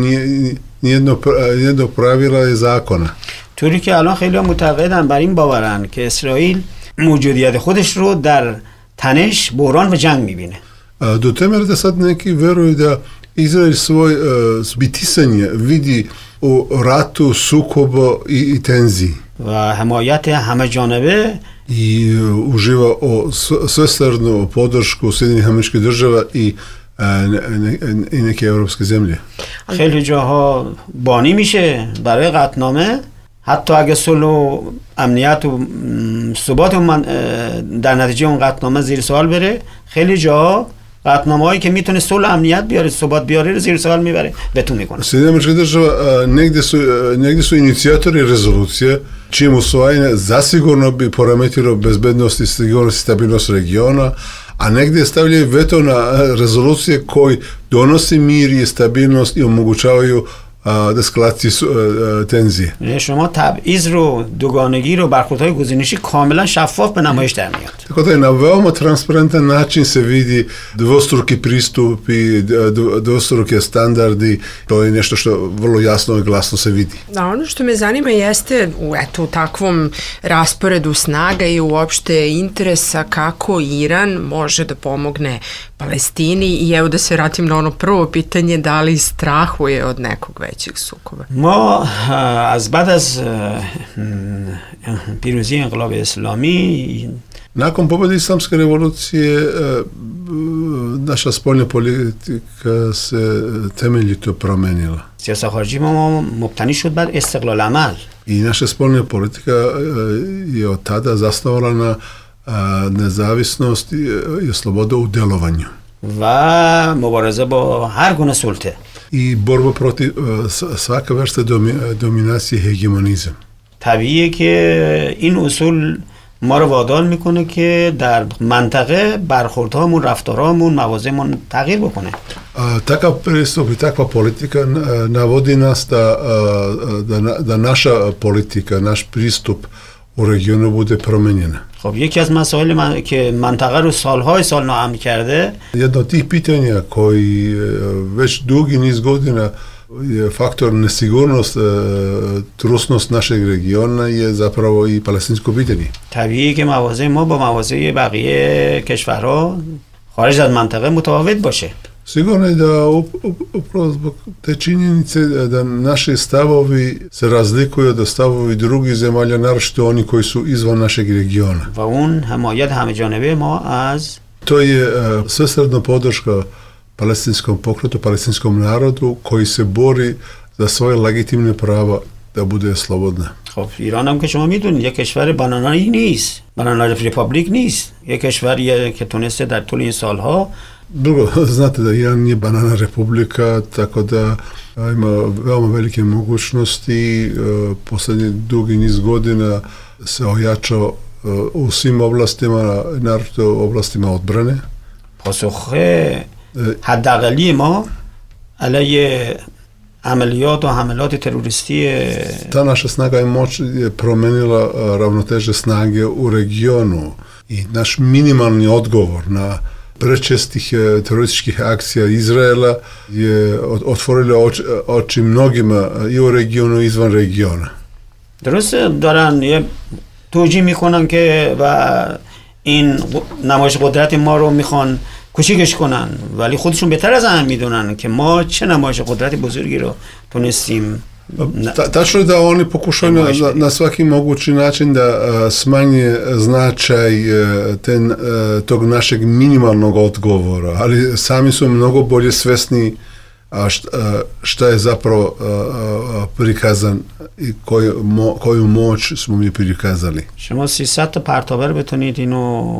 nijedno, nijedno pravila i zakona. طوری که الان خیلی معتقدن بر این باورن که اسرائیل موجودیت خودش رو در تنش، بحران و جنگ میبینه. Do te mere da sad neki veruju da Izrael svoj uh, zbitisanje vidi u ratu, sukobu i, i tenziji. و حمایت همه جانبه I uh, uživa o svestranu podršku Sjedinjenih Američkih Država i uh, ne, ne, i neke evropske zemlje. خیلی جاها بانی میشه برای قطعنامه، حتی اگه صلح و امنیت و ثبات من در نتیجه اون قطعنامه زیر سوال بره، خیلی جاها قطعنامه‌هایی که میتونه صلح امنیت بیاره، ثبات بیاره رو زیر سوال میبره، veto میکنه. Sjedinjene Američke Države negdje su negdje su inicijatori rezolucije čijim usvajanje zasigurno bi poremetilo bezbednost i sigurnost i stabilnost regiona, a negdje stavljaju veto na rezolucije koji donosi mir i stabilnost i omogućavaju دسکلاتی تنزیه. شما تبعیض رو، دوگانگی رو، برخوردهای گزینشی کاملا شفاف به نمایش در میاد. Tako da je na veoma transparentan način se vidi dvostruki pristupi, dvostruke standardi, to je nešto što vrlo jasno i glasno se vidi. Da, ono što me zanima jeste u eto, takvom rasporedu snaga i uopšte interesa kako Iran može da pomogne Palestini i evo da se vratim na ono prvo pitanje, da li strahuje od nekog većeg sukoba. ما از بعد از پیروزی انقلاب اسلامی Nakon pobjede islamske revolucije naša spoljna politika se temeljito promenila. سیاست خارجی ما مبتنی شد بر استقلال عمل. I naša spoljna politika je od tada zasnovala na nezavisnost i sloboda u delovanju. و مبارزه با هر گونه سلطه. I borba protiv svaka vrsta dominacije, hegemonizam. طبیعیه که این اصول ما رو وادار میکنه که در منطقه برخوردهامون، رفتارهامون، موازهمون تغییر بکنه. Takav pristup i takva politika navodi nas da, da, da naša politika, naš pristup u regionu bude promenjena. خب یکی از مسائل من... که منطقه رو سالهای سال ناامن کرده، jedno od tih pitanja koji već dugi niz godina je faktor nesigurnost, trusnost našeg regiona je zapravo i palestinsko pitanje. طبیعیه که موازه ما با موازه بقیه کشورها خارج از منطقه متفاوت باشه. Sigurno je da upravo zbog te činjenice da naši stavovi se razlikuju od stavovi drugih zemalja, naročito oni koji su izvan našeg regiona. و اون حمایت همه جانبه ما از To je uh, svesrdna podrška palestinskom pokretu, palestinskom narodu koji se bori za svoje legitimne prava da bude slobodna. خب ایران هم که شما میدونید یک کشور بانانایی نیست، بانانا رپابلیک نیست، یک کشوریه که تونسته در طول این سالها. Drugo, znate da Iran nije banana republika, tako da ima veoma velike mogućnosti. Poslednji dugi niz godina se ojačao u svim oblastima, naročito oblastima odbrane. پاسخ حداقلی ما علیه عملیات و حملات تروریستی. Ta naša snaga i moć je promenila ravnoteže snage u regionu i naš minimalni odgovor na prečestih terorističkih akcija Izraela je otvorilo oči, oči mnogima i u regionu i izvan regiona. درسته دارن یه توجیه میکنن که و این نمایش قدرت ما رو میخوان کوچیکش کنن، ولی خودشون بهتر از هم میدونن که ما چه نمایش قدرت بزرگی رو تونستیم. Ta, tačno je da oni pokušaju na, na svaki mogući način da uh, smanje značaj uh, ten, uh, tog našeg minimalnog odgovora, ali sami su mnogo bolje svesni a šta, šta je zapravo prikazan i koju, mo, koju moć smo mi prikazali. شما سیصد تا پرتابه بتونید اینو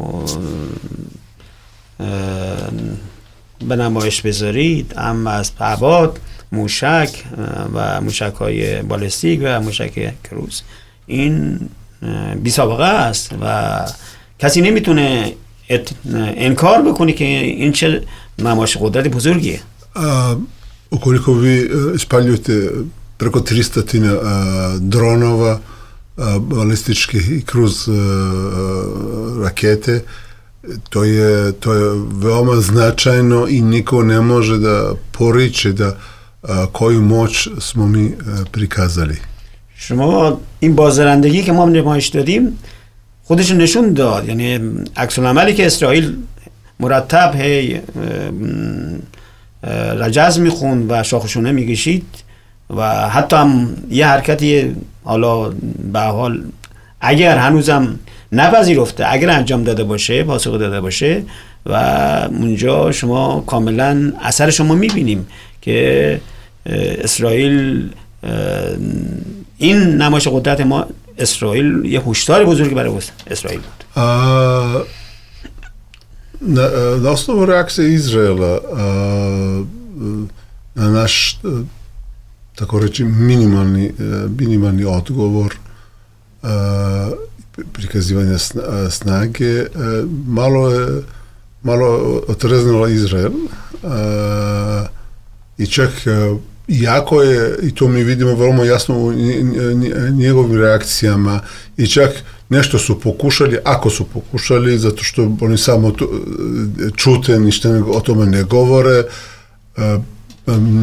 به نمایش بذارید، اما از پهباد، موشک و موشک های بالستیک و موشک کروز، این بی سابقه است و کسی نمیتونه انکار بکنه که این چه نمایش قدرت بزرگیه. Ukoliko vi ispaljujete preko tristo dronova, balističkih i kruz rakete, to je, to je veoma značajno i niko ne može da poriče da koju moć smo mi prikazali. شما این بازدارندگی که ما نمایش دادیم خودش نشون داد، یعنی عکس العملی که اسرائیل مرتب هی رجز میخوند و شاخشونه میکشید و حتی هم یه حرکتی حالا به حال اگر هنوزم نپذیرفته، اگر انجام داده باشه، پاسخ داده باشه و اونجا شما کاملا اثر شما میبینیم که اسرائیل، این نمایش قدرت ما اسرائیل یه هشدار بزرگی برای اسرائیل بود. A, na, na osnovu reakcije Izraela a, na naš, tako reći, minimalni, minimalni odgovor a, prikazivanja snage, a, malo je malo otreznula Izrael a, i čak a, iako je, i to mi vidimo veoma jasno u njegovim reakcijama, i čak nešto su pokušali, ako su pokušali, zato što oni samo to, čute, ništa o tome ne govore,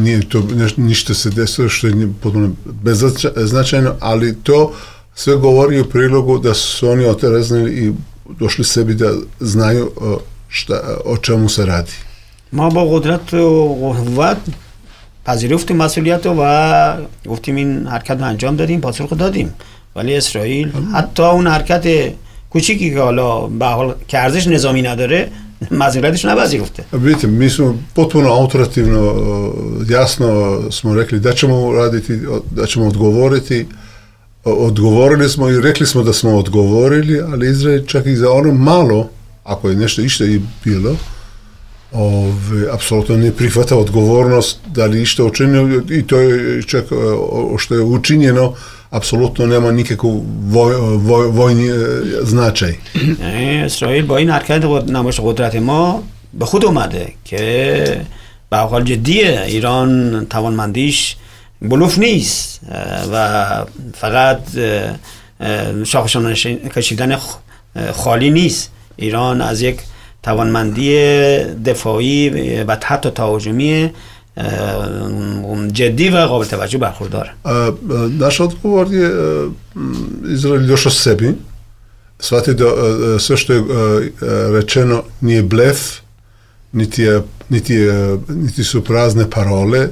nije to, ništa se desilo što je potpuno beznačajno, ali to sve govori u prilogu da su oni otreznili i došli sebi da znaju šta, o čemu se radi. ما با قدرت و قوت پذیرفتیم مسئولیت و گفتیم این حرکت رو انجام دادیم، پاسخ دادیم، ولی اسرائیل حتی اون حرکت کوچیکی که حالا به حال که ارزش نظامی نداره مسئولیتش نپذیرفته. Vidite, mi smo potpuno autoritativno, jasno smo rekli da ćemo raditi, da ćemo odgovoriti. Odgovorili smo i rekli smo da smo odgovorili, ali Izrael čak i za ono malo, ako je nešto išta i bilo, Ove, apsolutno ne prihvata odgovornost da li išta učinjeno, i to je čak što je učinjeno apsolutno nema nikakvu voj, voj, vojni značaj. اسرائیل با این حرکت نمایش قدرت ما به خود اومده که به حال جدیه، ایران توانمندیش بلوف نیست و فقط شاخشان کشیدن خالی نیست. ایران از یک توانمندی دفاعی و حتی تهاجمی جدی و قابل توجه برخورداره. Naš odgovor je Izrael došao sebi, shvatio da sve što je rečeno nije blef, niti, je, niti, je, niti su prazne parole,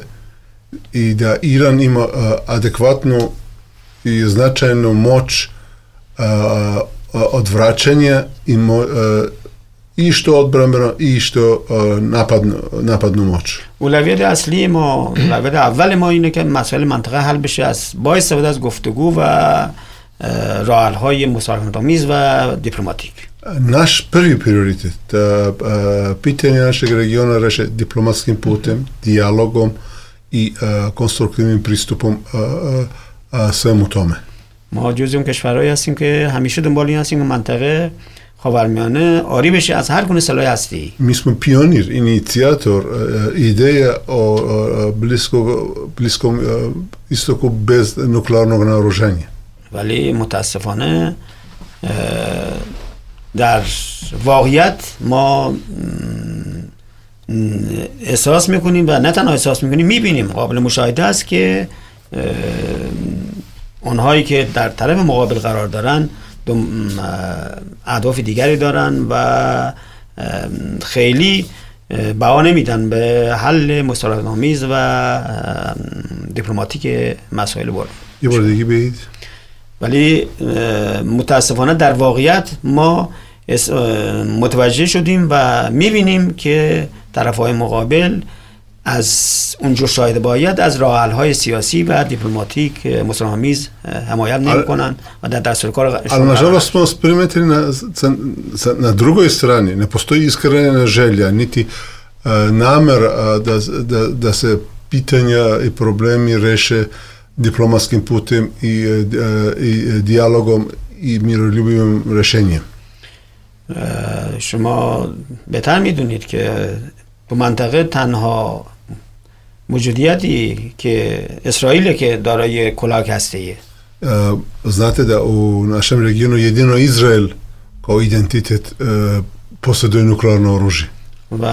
i da Iran ima adekvatnu i značajnu moć odvraćanja i mo, i što odbrambeno i što napadnu, napadnu moć. اولویت اصلی ما، اولویت اول ما اینه که مسائل منطقه حل بشه از با استفاده از گفتگو و راه‌حل‌های مسالمت‌آمیز و دیپلماتیک. Naš prvi prioritet da pitanje našeg regiona reše diplomatskim putem, dijalogom i konstruktivnim pristupom svemu tome. ما جزو اون کشورهایی هستیم که همیشه دنبال این هستیم که منطقه خاورمیانه آری بشه از هر گونه سلاح هستی. Mi smo pionir, inicijator ideja o bliskog, bliskom istoku bez nuklearnog naoružanja. ولی متاسفانه در واقعیت ما احساس میکنیم و نه تنها احساس میکنیم، میبینیم، قابل مشاهده است که اونهایی که در طرف مقابل قرار دارن اهداف دیگری دارن و خیلی بها نمیدن به حل مصالحه‌آمیز و دیپلماتیک مسائل برد. یه بار دیگه بگید. ولی متاسفانه در واقعیت ما متوجه شدیم و میبینیم که طرفهای مقابل از اونجور شاهد باید از راه‌حل‌های سیاسی و دیپلماتیک مسالمه‌آمیز حمایت نمی‌کنن و در دستور کار. Ali nažalost smo primetili na, na drugoj strani ne postoji iskrena želja niti uh, namera da, da, da se pitanja i problemi reše diplomatskim putem i, uh, i dijalogom i miroljubivim rešenjem. شما بهتر میدونید که تو منطقه تنها موجودیتی که اسرائیل که دارای کلاک هسته‌ایه. Znate da u našem regionu jedino Izrael kao identitet posjeduje nuklearno oružje. و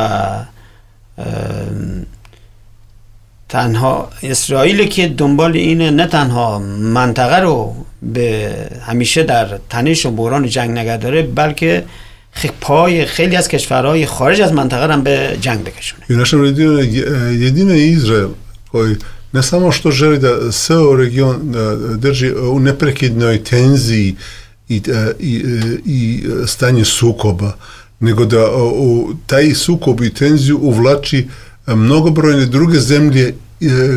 تنها اسرائیل که دنبال اینه نه تنها منطقه رو به همیشه در تنش و بحران جنگ نگه داره بلکه پای خیلی از کشورهای خارج از منطقه هم به جنگ بکشونه. I u našem regionu jedino je Izrael koji ne samo što želi da ceo region drži u neprekidnoj tenziji i, i, i stanje sukoba, nego da u taj sukob i tenziju uvlači mnogobrojne druge zemlje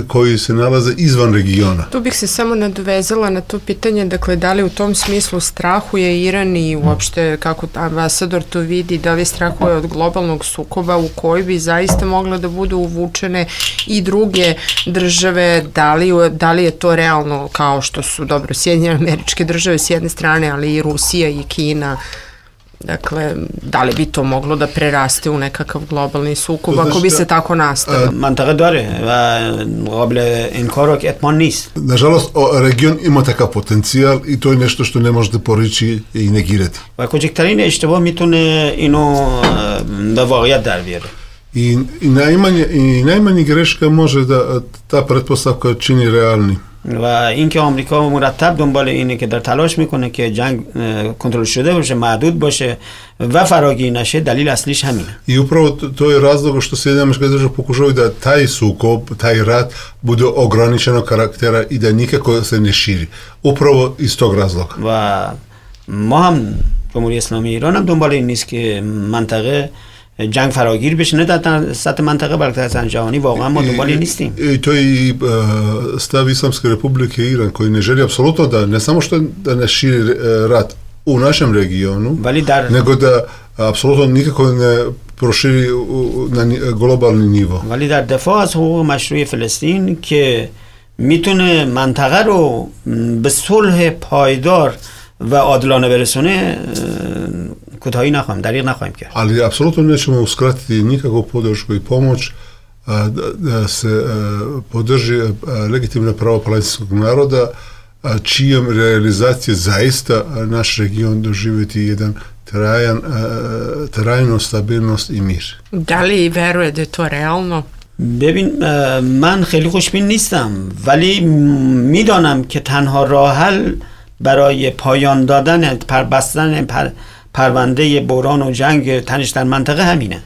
koji se nalaze izvan regiona. Tu bih se samo nadovezala na to pitanje, dakle, da li u tom smislu strahuje Iran i uopšte kako ambasador to vidi, da li strahuje od globalnog sukoba u koji bi zaista mogle da budu uvučene i druge države, da li, da li je to realno kao što su, dobro, Sjedinjene Američke Države s jedne strane, ali i Rusija i Kina. Dakle, da li bi to moglo da preraste u nekakav globalni sukob ako bi se tako nastavilo? منطقه داره و قابل انکار و اطمینان نیست. Nažalost, region ima takav potencijal i to je nešto što ne možete porići i negirati. و کوچکترین اشتباه میتونه اینو به واقعیت در بیاره. I, i, najmanje, i najmanje greška može da ta pretpostavka čini realni. و اینکه آمریکا مرتب دنبال اینه که در تلاش میکنه که جنگ کنترل شده باشه، محدود باشه و فراگیر نشه، دلیل اصلیش همینه. I upravo to, to je razlog što Sjedinjene Američke Države pokušavaju da taj sukob, taj rat bude ograničenog karaktera i da nikako se ne širi. Upravo iz tog razloga. و ما هم جمهوری اسلامی ایران هم دنبال این نیست که منطقه جنگ فراگیر بشه، نه در سطح منطقه بلکه در سطح جهانی. واقعا ما دنبال نیستیم. I to je i uh, stav Islamske Republike Iran koji ne želi apsolutno da ne samo što da ne širi uh, rat u našem regionu, dar, nego da apsolutno nikako ne proširi u, na globalni nivo. ولی در دفاع از حقوق مشروع فلسطین که میتونه منطقه رو به صلح پایدار و عادلانه برسونه کوتاهی نخواهیم، دریغ نخواهیم کرد. Ali apsolutno nećemo uskratiti nikakvu podršku i pomoć a, da, da se a, podrži a, legitimna prava palestinskog naroda, a, čijom realizacije zaista a, naš region doživjeti jedan trajan, a, trajnu stabilnost i mir. Da li veruje da je to realno? ببین من خیلی خوشبین نیستم ولی میدانم که تنها راه حل برای پایان دادن پر بستن پر پرونده بحران و جنگ تنش در منطقه همینه.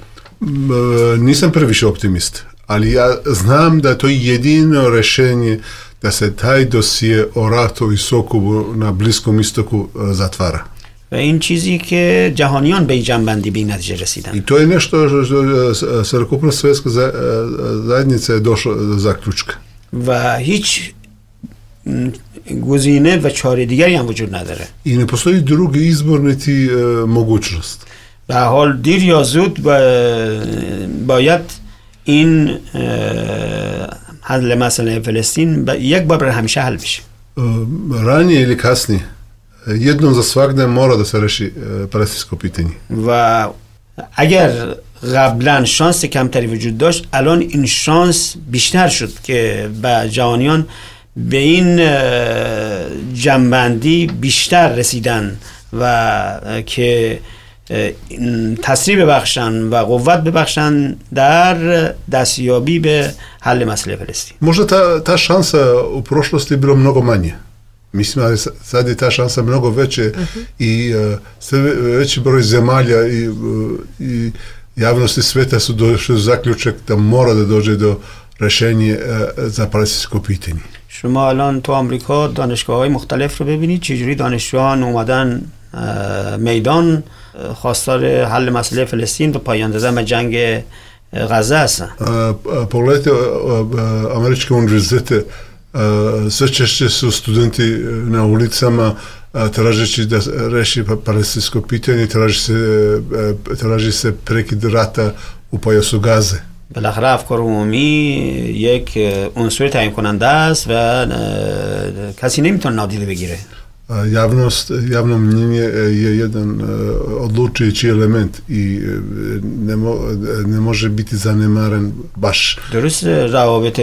Nisam previše optimist, ali ja znam da to je jedino rešenje da se taj dosije o ratu i sukobu na Bliskom istoku zatvara. و این چیزی که جهانیان به این جنبندی به این نتیجه رسیدن. I to je nešto što celokupna svjetska zajednica je došla do zaključka. و هیچ گزینه و چاره دیگری هم وجود نداره. I ne postoji drugi izbor niti uh, mogućnost. به حال دیر یا زود باید این حل مسئله فلسطین یک بار برای همیشه حل بشه. Ranije ili kasnije jednom za svagda mora da se reši palestinsko pitanje. و اگر قبلا شانس کمتری وجود داشت الان این شانس بیشتر شد که به جهانیان به این جنبندی بیشتر رسیدن و که تسریع ببخشن و قوت ببخشن در دستیابی به حل مسئله فلسطین. Možda ta, ta šansa u prošlosti je bilo mnogo manje. Mislim, ali sad je ta šansa mnogo veće uh-huh. i uh, sve veći broj zemalja i, uh, i javnosti sveta su došli do zaključak da mora da dođe do rešenja uh, za palestinsko pitanje. شما الان تو آمریکا دانشگاه‌های مختلف رو ببینید چجوری دانشجویان اومدن میدان خواستار حل مسئله فلسطین و پایان دادن به جنگ غزه هستن. Pogledajte američke univerzitete, sve češće su studenti na ulicama tražeći da reši palestinsko pitanje, traži se, traži se prekid rata u pojasu Gaze. بالاخره افکار عمومی یک عنصر تعیین کننده است و کسی نمیتونه نادیده بگیره. Javnost, javno mnjenje je jedan odlučujući element i ne, mo, ne može biti zanemaren baš. درست روابط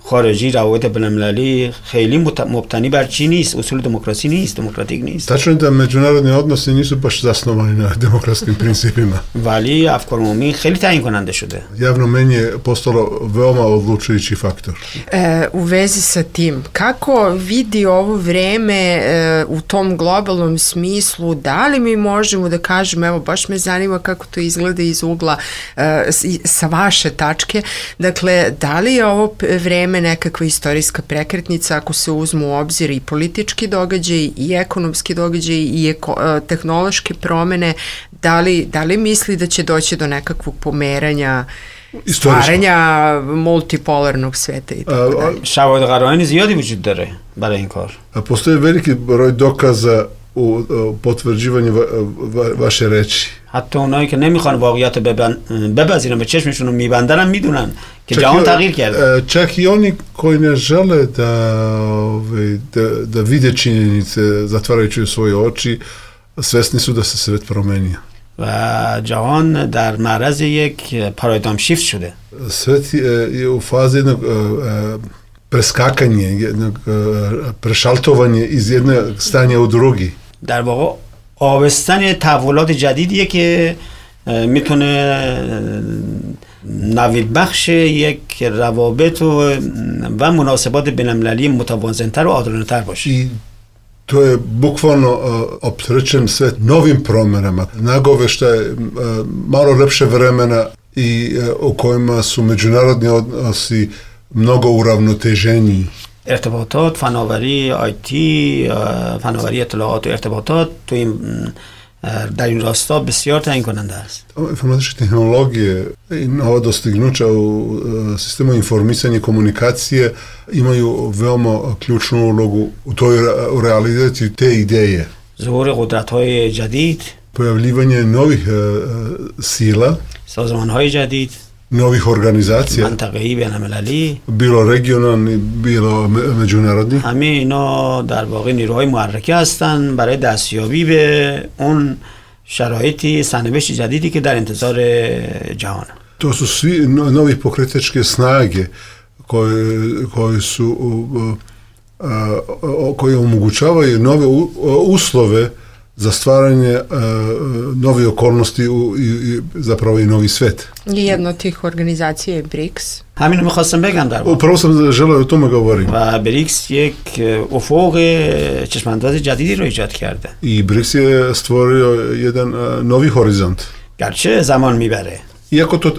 خارجی روابط بین‌المللی خیلی مبتنی بر چی نیست، اصول دموکراسی نیست، دموکراتیک نیست. Tačno je da međunarodni odnosi nisu baš zasnovani na demokratskim principima. ولی افکار عمومی خیلی تعیین کننده شده. Javno mnjenje je postalo veoma odlučujući faktor. E, u vezi sa tim, kako vidi ovo vreme e, u tom globalnom smislu, da li mi možemo da kažemo, evo baš me zanima kako to izgleda iz ugla e, sa vaše tačke, dakle, da li je ovo vreme nekakva istorijska prekretnica ako se uzmu u obzir i politički događaj i ekonomski događaj i eko, tehnološke promene, da li, da li misli da će doći do nekakvog pomeranja, stvaranja multipolarnog sveta i tako dalje? شواهد قرائن زیادی وجود داره برای این کار. Postoji veliki broj dokaza u potvrđivanju va, va, vaše reči. حتی اونایی که نمیخوان واقعیت بپذیرن و چشمشون رو میبندن هم میدونن که جهان تغییر کرده. Čak i oni koji ne žele da, da, da vide činjenice zatvarajući svoje oči, svesni su da se svet promenio. و جهان در معرض یک پارادایم شیفت شده. Svet je u fazi jednog preskakanja, jednog prešaltovanja iz jednog stanja u drugi. در واقع آبستن تحولات جدیدیه که میتونه نوید بخش یک روابط و, و مناسبات بین‌المللی متوازن‌تر و عادلانه‌تر باشه. I to je bukvalno uh, opterećen svet novim promjenama, nagoveštaje uh, malo lepše vremena i uh, u kojima su međunarodni odnosi mnogo uravnoteženiji. ارتباطات، فناوری آیتی، فناوری اطلاعات و ارتباطات تو این در این راستا بسیار تعیین کننده است. Informatičke tehnologije i nova dostignuća u sistemu informisanja i komunikacije imaju veoma ključnu ulogu u toj u realizaciji te ideje. ظهور قدرت‌های جدید، pojavljivanje novih sila, سازمان‌های جدید، novih organizacija, منطقه‌ای بین‌المللی، bilo regionalni, bilo međunarodni. همه اینا در واقع نیروهای محرکه هستن برای دستیابی به اون شرایطی سرنوشت جدیدی که در انتظار جهان. To su svi novi pokretačke snage koje, koje su koje omogućavaju nove uslove za stvaranje uh, nove okolnosti u, i, i zapravo i novi svet. I jedna od tih organizacija je BRICS. همینو میخواستم بگم در واقع. Upravo sam želeo o tome govorim. و بریکس یک افق چشمانداز جدیدی رو ایجاد کرده. I BRICS je stvorio jedan uh, novi horizont. گرچه زمان میبره. Iako to uh,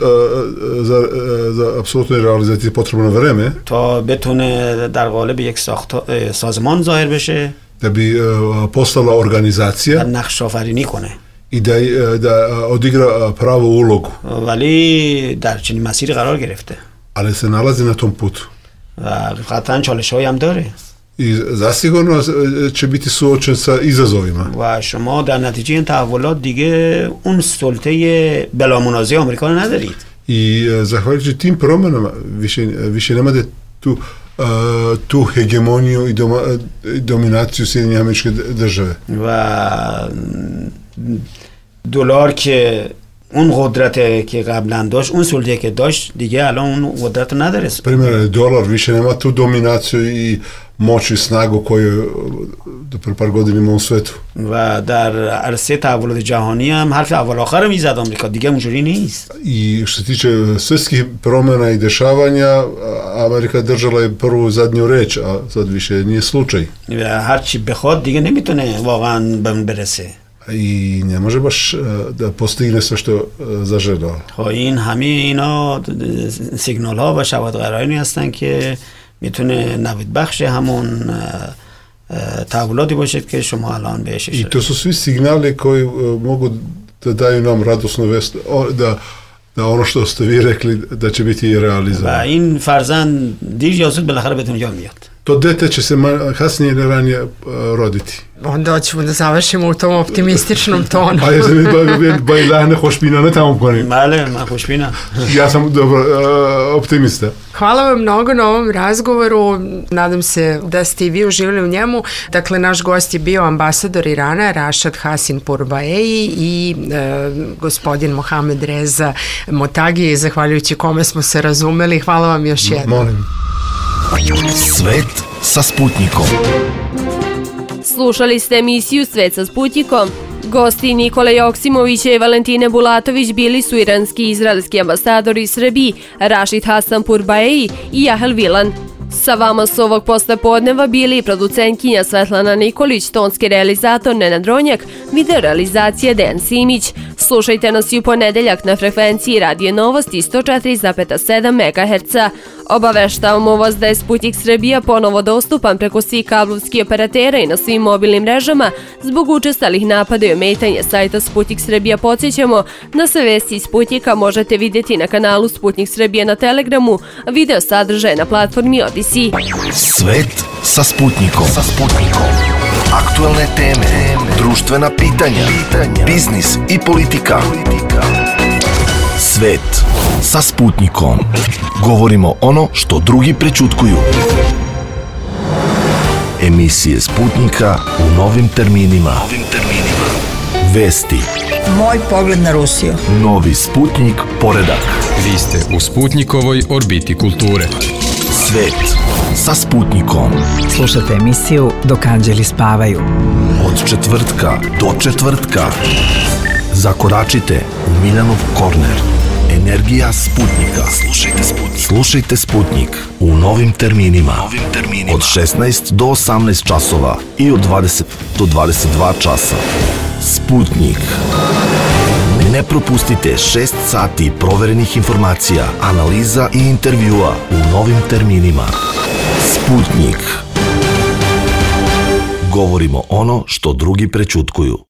za, uh, za apsolutnu realizaciju je potrebno vreme. تا بتونه در قالب یک ساخت سازمان ظاهر بشه. Da bi uh, postala organizacija. و نقش آفرینی کنه. I da, da odigra pravu ulogu. ولی در چنین مسیری قرار گرفته. Ali se nalazi na tom putu. و قطعا چالش‌هایی هم داره. I zasigurno će biti suočen sa izazovima. و شما در نتیجه این تحولات دیگه اون سلطه بلامنازع آمریکا رو ندارید. I zahvaljujući tim promjenama više, više nemate tu, uh, tu hegemoniju i doma, dominaciju Sjedinjenih Američke Države. و دلار که اون قدرت که قبلا داشت اون سلطه که داشت دیگه الان اون قدرت نداره. Primjer, dolar više nema tu dominaciju i moć i snagu koju do pre par godina ima u svetu. و در عرصه تحولات جهانی هم حرف اول آخر میزد آمریکا دیگه اونجوری نیست. I što se tiče svjetskih promjena i dešavanja, Amerika držala je prvu i zadnju reč, a sad više nije slučaj. و هر چی بخواد دیگه نمیتونه واقعا به اون برسه. I ne može baš da postigne sve što zaželao. خب این همه اینا سیگنال ها و شواهد قرائنی هستن که میتونه نوید بخش همون تحولاتی باشد که شما الان بهش اشاره. I to su svi signali koji mogu da daju nam radosnu vest da da ono što ste vi rekli da će biti realizovano. و این فرزند دیر یا زود بالاخره به دنیا میاد. To dete će se kasnije ili ranije roditi. Onda hoćemo da završimo u tom optimističnom tonu. A ja sam ba ilahne خوشبینانه تمام کنیم. بله من خوشبینم. Ja sam dobro optimista. Hvala vam mnogo na ovom razgovoru. Nadam se da ste i vi uživali u njemu. Dakle, naš gost je bio ambasador Irana Rashad Hasan Pourbaei i e, gospodin Mohamed Reza Motagi, zahvaljujući kome smo se razumeli. Hvala vam još jednom. Molim. Svet sa Sputnikom. Slušali ste emisiju Svet sa Sputnikom. Gosti Nikole Joksimovića i Valentine Bulatović bili su iranski i izraelski ambasadori Srbiji Rashid Hasan Pourbaei i Jahel Vilan. Sa vama su ovog poslepodneva bili producentkinja Svetlana Nikolić, tonski realizator Nenad Ronjak, video realizacija Dejan Simić. Slušajte nas i u ponedeljak na frekvenciji Radio Novosti sto četiri zarez sedam megaherca. Obaveštavamo vas da je Sputnik Srbija ponovo dostupan preko svih kablovskih operatera i na svim mobilnim mrežama. Zbog učestalih napada i ometanja sajta Sputnik Srbija podsjećamo da sve vesti iz Sputnika možete vidjeti na kanalu Sputnik Srbija na Telegramu, video sadržaje na platformi Odisi. Svet sa Sputnikom. Sa Sputnikom. Aktualne teme, društvena pitanja, biznis i politika. Svet sa Sputnikom. Govorimo ono što drugi prećutkuju. Emisije Sputnika u novim terminima. Vesti. Moj pogled na Rusiju. Novi Sputnik poredak. Vi ste u Sputnikovoj orbiti kulture. Svet sa Sputnikom. Slušajte emisiju Dok anđeli spavaju. Od četvrtka do četvrtka. Zakoračite u Miljanov korner. Energija Sputnika. Slušajte Sputnik. Slušajte Sputnik u novim terminima. Novim terminima. Od šesnaest do osamnaest časova i od dvadeset do dvadeset dva časa. Sputnik. Ne propustite šest sati proverenih informacija, analiza i intervjua u novim terminima. Sputnik. Govorimo ono što drugi prećutkuju.